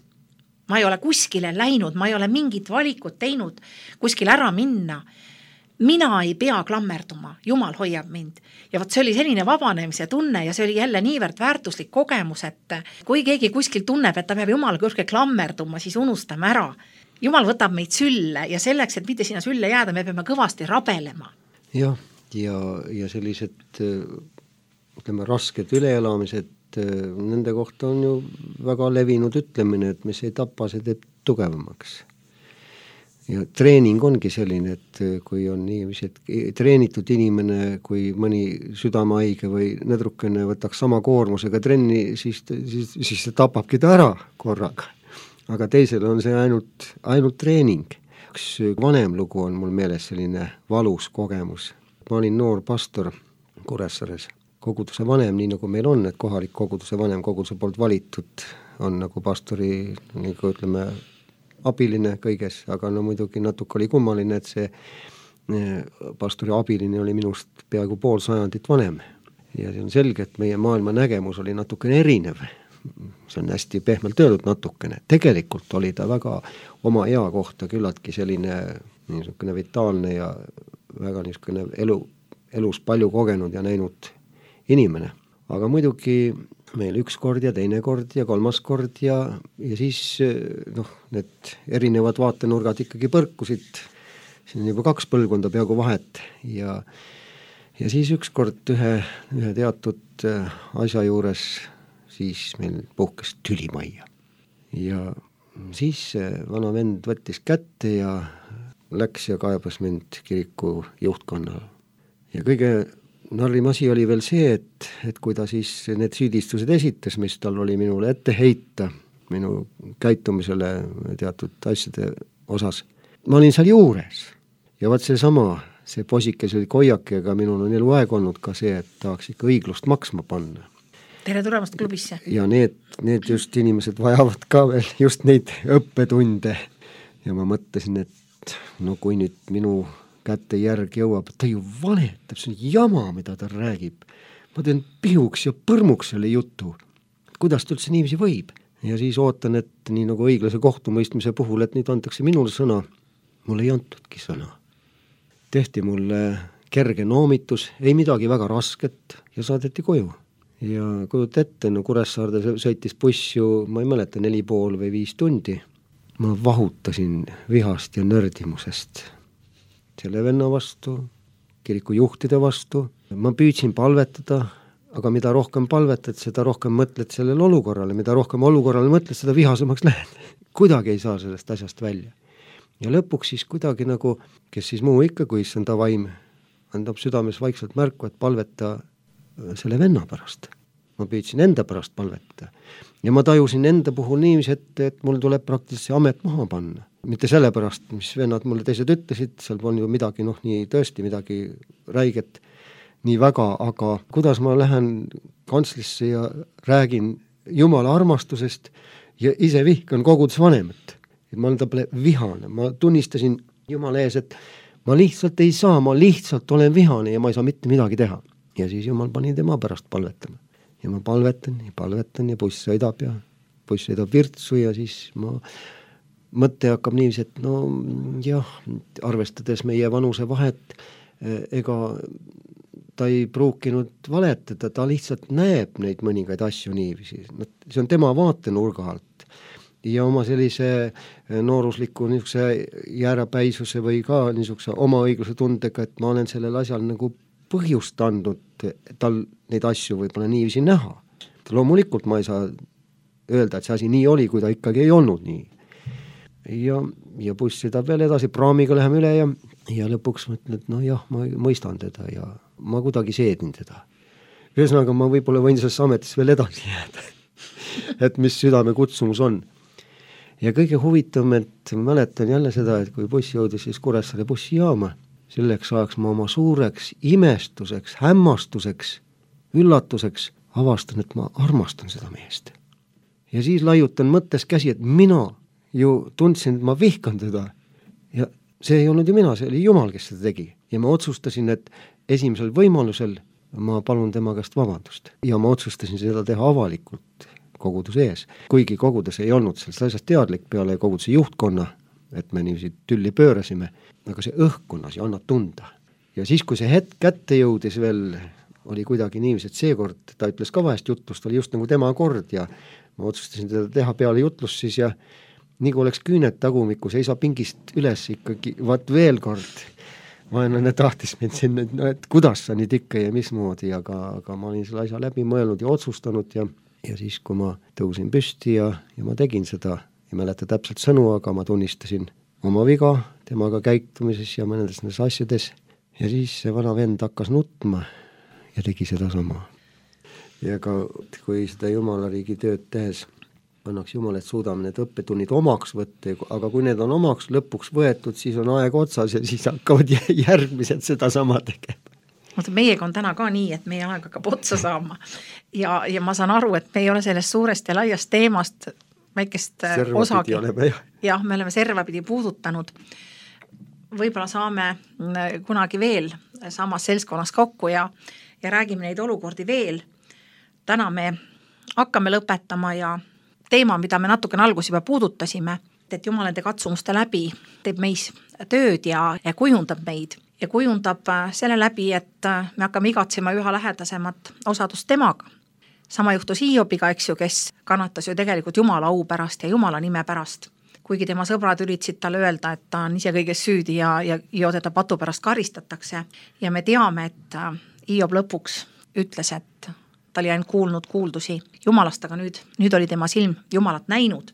Ma ei ole kuskile läinud, ma ei ole mingit valikut teinud, kuskil ära minna. Mina ei pea klammerduma, Jumal hoiab mind. Ja võt see oli selline vabanemise tunne ja see oli jälle niivõrd väärtuslik kogemus, et kui keegi kuskil tunneb, et ta peab Jumal kõrge klammerduma, siis unustame ära. Jumal võtab meid sülle ja selleks, et mitte sinna sülle jääda, me peame kõvasti rabelema. Jah, ja, ja sellised, ütleme, rasked üleelamised, nende kohta on ju väga levinud ütlemine, et mis ei tapa, see teeb tugevamaks. Ja treening ongi selline, et kui on niiviisi, et treenitud inimene, kui mõni südamehaige või nedrukene võtaks sama koormusega trenni, siis, siis, siis see tapabki ta ära korraga. Aga teisel on see ainult, ainult treening. Üks vanem lugu on mul meeles selline valus kogemus. Ma olin noor pastor Kuressaares. Koguduse vanem, nii nagu meil on, et kohalik koguduse vanem koguduse poolt valitud on nagu pastori, nagu ütleme, abiline kõiges, aga no muidugi natuke oli kummaline, et see pastori abiline oli minust peaaegu pool sajandit vanem. Ja see on selge, et meie maailma nägemus oli natukene erinev. See on hästi pehmelt öeldud natukene. Tegelikult oli ta väga oma ea kohta küllaltki selline niisugune vitaalne ja väga niisugune elu, elus palju kogenud ja näinud inimene. Aga muidugi meil üks kord ja teine kord ja kolmas kord ja, ja siis noh, need erinevad vaatenurgad ikkagi põrkusid, siin on juba kaks põlvkonda peaaegu vahet ja, ja siis üks kord ühe, ühe teatud asja juures siis meil puhkes tülimajja ja siis vana vend võttis kätte ja läks ja kaebas mind kiriku juhtkonnal ja kõige narrim asi oli veel see, et, et kui ta siis need süüdistused esitas, mis tal oli minule ette heita, minu käitumisele teatud asjade osas. Ma olin seal juures ja vaat see sama, see posikes oli koiake, aga minul on elu aeg olnud ka see, et tahaks ikka õiglust maksma panna. Tere tulemast klubisse. Ja need, need just inimesed vajavad ka veel just neid õppetunde ja ma mõtlesin, et no kui nüüd minu kätte järg jõuab, ta ju vanetab, see on jama, mida ta räägib. Ma teen pihuks ja põrmuks selle jutu. Kuidas ta üldse niiviisi võib? Ja siis ootan, et nii nagu õiglase kohtumõistmise puhul, et nüüd antakse minule sõna. Mul ei antudki sõna. Tehti mulle kerge noomitus, ei midagi väga rasket ja saadeti koju. Ja kujut ette, no Kuressaarde sõitis buss ju, ma ei mäleta, neli pool või viis tundi. Ma vahutasin vihast ja nördimusest. Selle venna vastu, kiriku juhtide vastu. Ma püüdsin palvetada, aga mida rohkem palvetad, seda rohkem mõtled sellele olukorrale, mida rohkem olukorrale mõtled, seda vihasemaks lähed. Kuidagi ei saa sellest asjast välja. Ja lõpuks siis kuidagi nagu, kes siis muu ikka, kui issand ta vaim, andab südames vaikselt märku, et palveta selle venna pärast. Ma püüdsin enda pärast palvetada. Ja ma tajusin enda puhul niiviisi, et, et mul tuleb praktiliselt see amet maha panna. Mitte selle pärast, mis vennad mulle teised ütlesid, seal on ju midagi, noh, nii tõesti midagi räiget, nii väga, aga kuidas ma lähen kantslisse ja räägin Jumala armastusest ja ise vihkan koguduse vanemat. et ma olen ta peale vihane, ma tunnistasin Jumala ees, et ma lihtsalt ei saa, ma lihtsalt olen vihane ja ma ei saa mitte midagi teha. Ja siis Jumal pani tema pärast palvetama. Ja ma palvetan ja palvetan ja buss sõidab ja buss sõidab virtsu ja siis ma mõtte hakkab niiviisi, et no jah, arvestades meie vanuse vahet, ega ta ei pruukinud valetada, ta lihtsalt näeb neid mõningaid asju niiviisi. No, see on tema vaatenurga alt. Ja oma sellise noorusliku niisuguse jäärapäisuse või ka niisuguse oma õigluse tundega, et ma olen sellel asjal nagu põhjust andnud tal neid asju võib-olla niiviisi näha. Loomulikult ma ei saa öelda, et see asi nii oli, kui ta ikkagi ei olnud nii. Ja, ja buss sõidab veel edasi, praamiga läheme üle ja, ja lõpuks mõtlen, et no jah, ma mõistan teda ja ma kuidagi seedin teda. Ühesõnaga, ma võib-olla võin selles ametis veel edasi jääda, et mis südame kutsumus on. Ja kõige huvitavam, et mäletan jälle seda, et kui buss jõudis siis Kuressaare bussijaama, selleks ajaks ma oma suureks imestuseks, hämmastuseks, üllatuseks avastan, et ma armastan seda meest. Ja siis laiutan mõttes käsi, et mina ju tundsin, et ma vihkan teda ja see ei olnud ju mina, see oli Jumal, kes seda tegi. Ja ma otsustasin, et esimesel võimalusel ma palun tema käest vabandust ja ma otsustasin seda teha avalikult koguduse ees. Kuigi kogudus ei olnud sellest asjast teadlik peale koguduse juhtkonna, et me niiviisi tülli pöörasime, aga see õhkkonnas ja annab tunda. Ja siis, kui see hetk kätte jõudis veel, oli kuidagi niiviisi, et seekord ta ütles ka vahest jutlust, oli just nagu tema kord ja ma otsustasin teda teha peale jutlust siis ja nii kui oleks küünet tagumikus, ei saa pingist üles ikkagi, vaat veel kord, vaenlane tahtis mind sinna, no, et kuidas sa nüüd ikka ja mismoodi, aga, aga ma olin selle asja läbi mõelnud ja otsustanud ja, ja siis, kui ma tõusin püsti ja, ja ma tegin seda, ei mäleta täpselt sõnu, aga ma tunnistasin oma viga temaga käitumises ja mõnedes nendes asjades ja siis see vana vend hakkas nutma ja tegi seda sama. Ja ka kui seda Jumala riigi tööd tehes annaks Jumal, et suudame need õppetunnid omaks võtta, aga kui need on omaks lõpuks võetud, siis on aeg otsas ja siis hakkavad järgmised seda sama tegema. Meiega on täna ka nii, et meie aeg hakkab otsa saama ja, ja ma saan aru, et me ei ole sellest suurest ja laiast teemast väikest serva osagi. Oleme, jah. jah, me oleme servapidi puudutanud. Võib-olla saame kunagi veel samas seltskonnas kokku ja, ja räägime neid olukordi veel. Täna me hakkame lõpetama ja teema, mida me natukene algus juba puudutasime, et Jumal nende katsumuste läbi teeb meis tööd ja, ja kujundab meid ja kujundab selle läbi, et me hakkame igatsema üha lähedasemat osadust temaga. Sama juhtus Hiobiga, eks ju, kes kannatas ju tegelikult Jumala au pärast ja Jumala nime pärast. Kuigi tema sõbrad üritasid talle öelda, et ta on ise kõiges süüdi ja, ja, ja teda patu pärast karistatakse. Ja me teame, et Hiob lõpuks ütles, et ta oli ainult kuulnud kuuldusi Jumalast, aga nüüd, nüüd oli tema silm Jumalat näinud.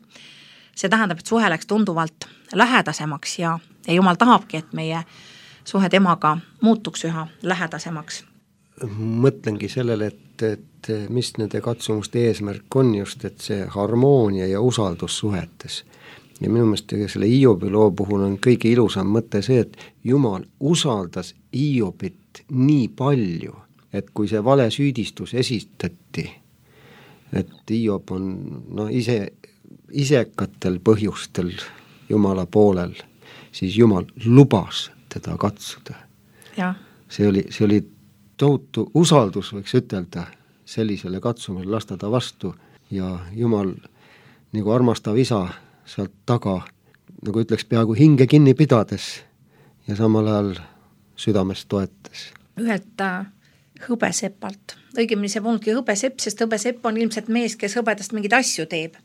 See tähendab, et suhe läks tunduvalt lähedasemaks ja, ja Jumal tahabki, et meie suhe temaga muutuks üha lähedasemaks. Mõtlengi sellele, et, et mis nende katsumuste eesmärk on just, et see harmoonia ja usaldus suhetes. Ja minu meelest selle Hiobi loo puhul on kõige ilusam mõte see, et Jumal usaldas Hiobit nii palju, et kui see vale süüdistus esitati, et Hiob on no, ise, isekatel põhjustel Jumala poolel, siis Jumal lubas teda katsuda. Ja. See oli, see oli tohutu usaldus, võiks ütelda, sellisele katsumisele lasta ta vastu ja Jumal nagu armastav isa sealt taga, nagu ütleks peaaegu hinge kinni pidades ja samal ajal südames toetas. Ühelt hõbesepalt. Õigemini see polnudki hõbesepp, sest hõbesepp on ilmselt mees, kes hõbedast mingeid asju teeb.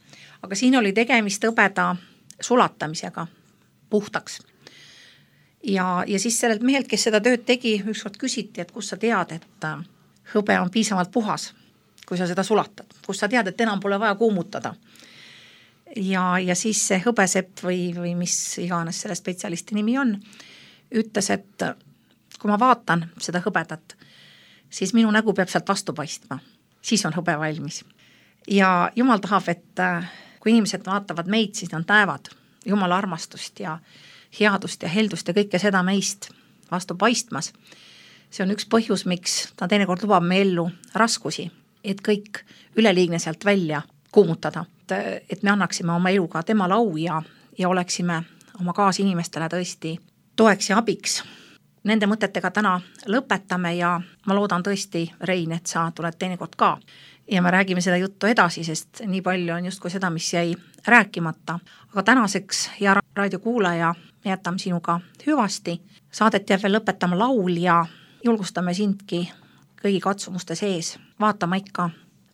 Aga siin oli tegemist hõbeda sulatamisega puhtaks. Ja, ja siis sellelt mehelt, kes seda tööd tegi, ükskord küsiti, et kus sa tead, et hõbe on piisavalt puhas, kui sa seda sulatad. Kus sa tead, et enam pole vaja kuumutada. Ja, ja siis see hõbesepp või, või mis iganes selle spetsialisti nimi on, ütles, et kui ma vaatan seda hõbedat, siis minu nägu peab sealt vastu paistma. Siis on hõbe valmis. Ja Jumal tahab, et kui inimesed vaatavad meid, siis nad näevad Jumala armastust ja headust ja heldust ja kõike seda meist vastu paistmas. See on üks põhjus, miks ta teinekord lubab me ellu raskusi, et kõik üleliigne sealt välja kuumutada. Et me annaksime oma eluga tema au ja, ja oleksime oma kaasinimestele tõesti toeks ja abiks. Nende mõtetega täna lõpetame ja ma loodan tõesti, Rein, et sa tuled teinekord ka. Ja me räägime seda juttu edasi, sest nii palju on justkui seda, mis jäi rääkimata. Aga tänaseks, hea raadiokuulaja, jätame sinuga hüvasti. Saadet jääb veel lõpetama laul ja julgustame sindki kõigi katsumuste sees. Vaatama ikka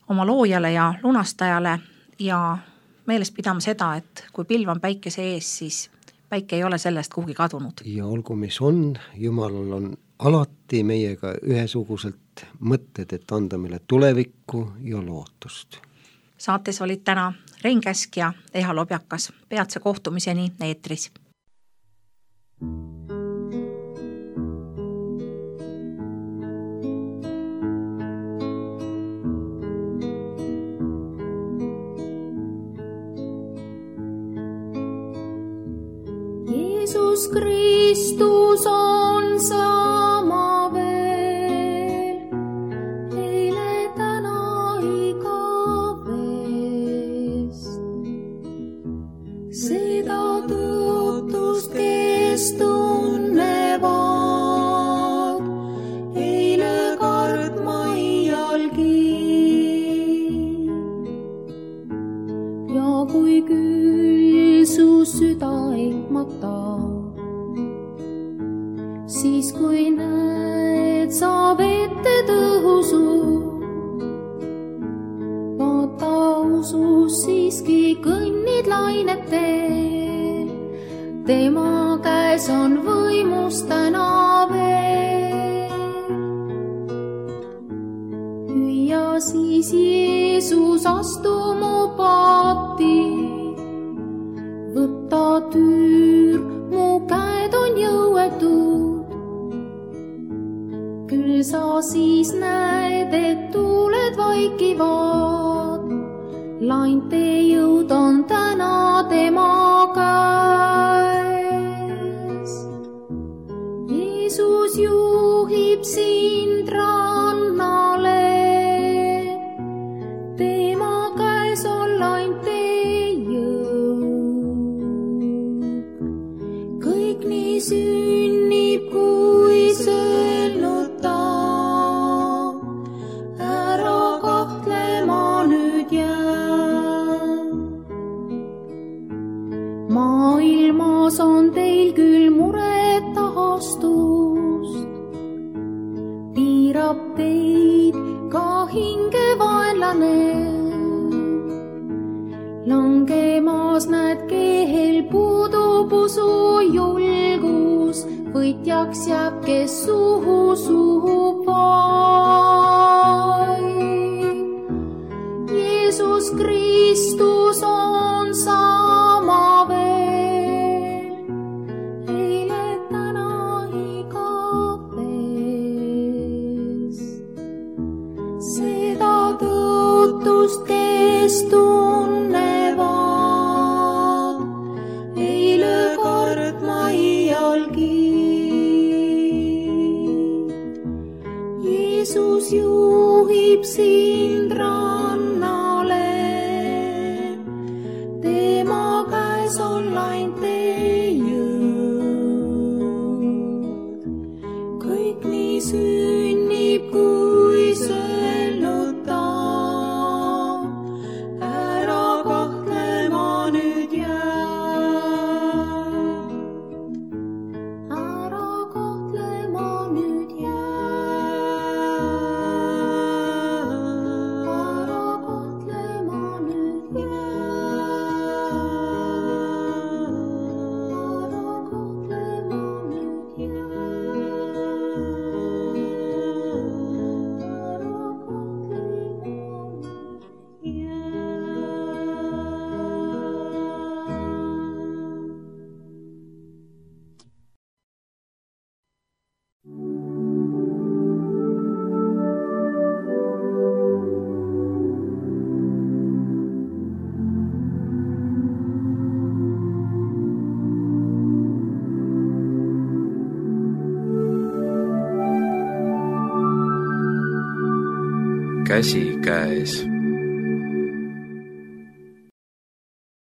oma loojale ja lunastajale ja meeles pidama seda, et kui pilv on päikese ees, siis päike ei ole sellest kuhugi kadunud. Ja olgu mis on, Jumalal on alati meiega ühesuguselt mõtted, et anda meile tulevikku ja lootust. Saates olid täna Rein Käsk ja Eha Lobjakas. Peatse kohtumiseni eetris. Jeesus Kristus on sama veel, eile täna igavest. Seda tõotust, kes tunnevad, eile kartma iialgi. Ja kui küll su süda ehmata, siis kui näed sa vette tõhusu, vaata usus siiski kõnnid lainetel, tema käes on võimus täna veel. Hüüa siis Jeesus, astu mu paati, võta tüür, mu käed on jõuetud. Küll sa siis näed, et tuuled vaikivad, lainte jõud on täna tema käes. Jeesus juhib sind rannale, tema käes on lainte sünnib, kui sõelnud ta, ära kahtlema nüüd jää. Maailmas on teil küll muret ahastust, piirab teid ka hingevaenlane. Langemas näed, kehel puudub usu julgus, võitjaks jääb, kes suhu suhub vaid. Jeesus Kristus on sama veel, eile täna igavest. Seda tõotust, kes tunnevad, eile kartma iialgi. Jeesus juhib sind rannale, tema käes on lainte jõud. Kõik nii sünnib, kui sõelnud ta, ära kahtlema nüüd jää. Ära kahtlema nüüd käsikäes.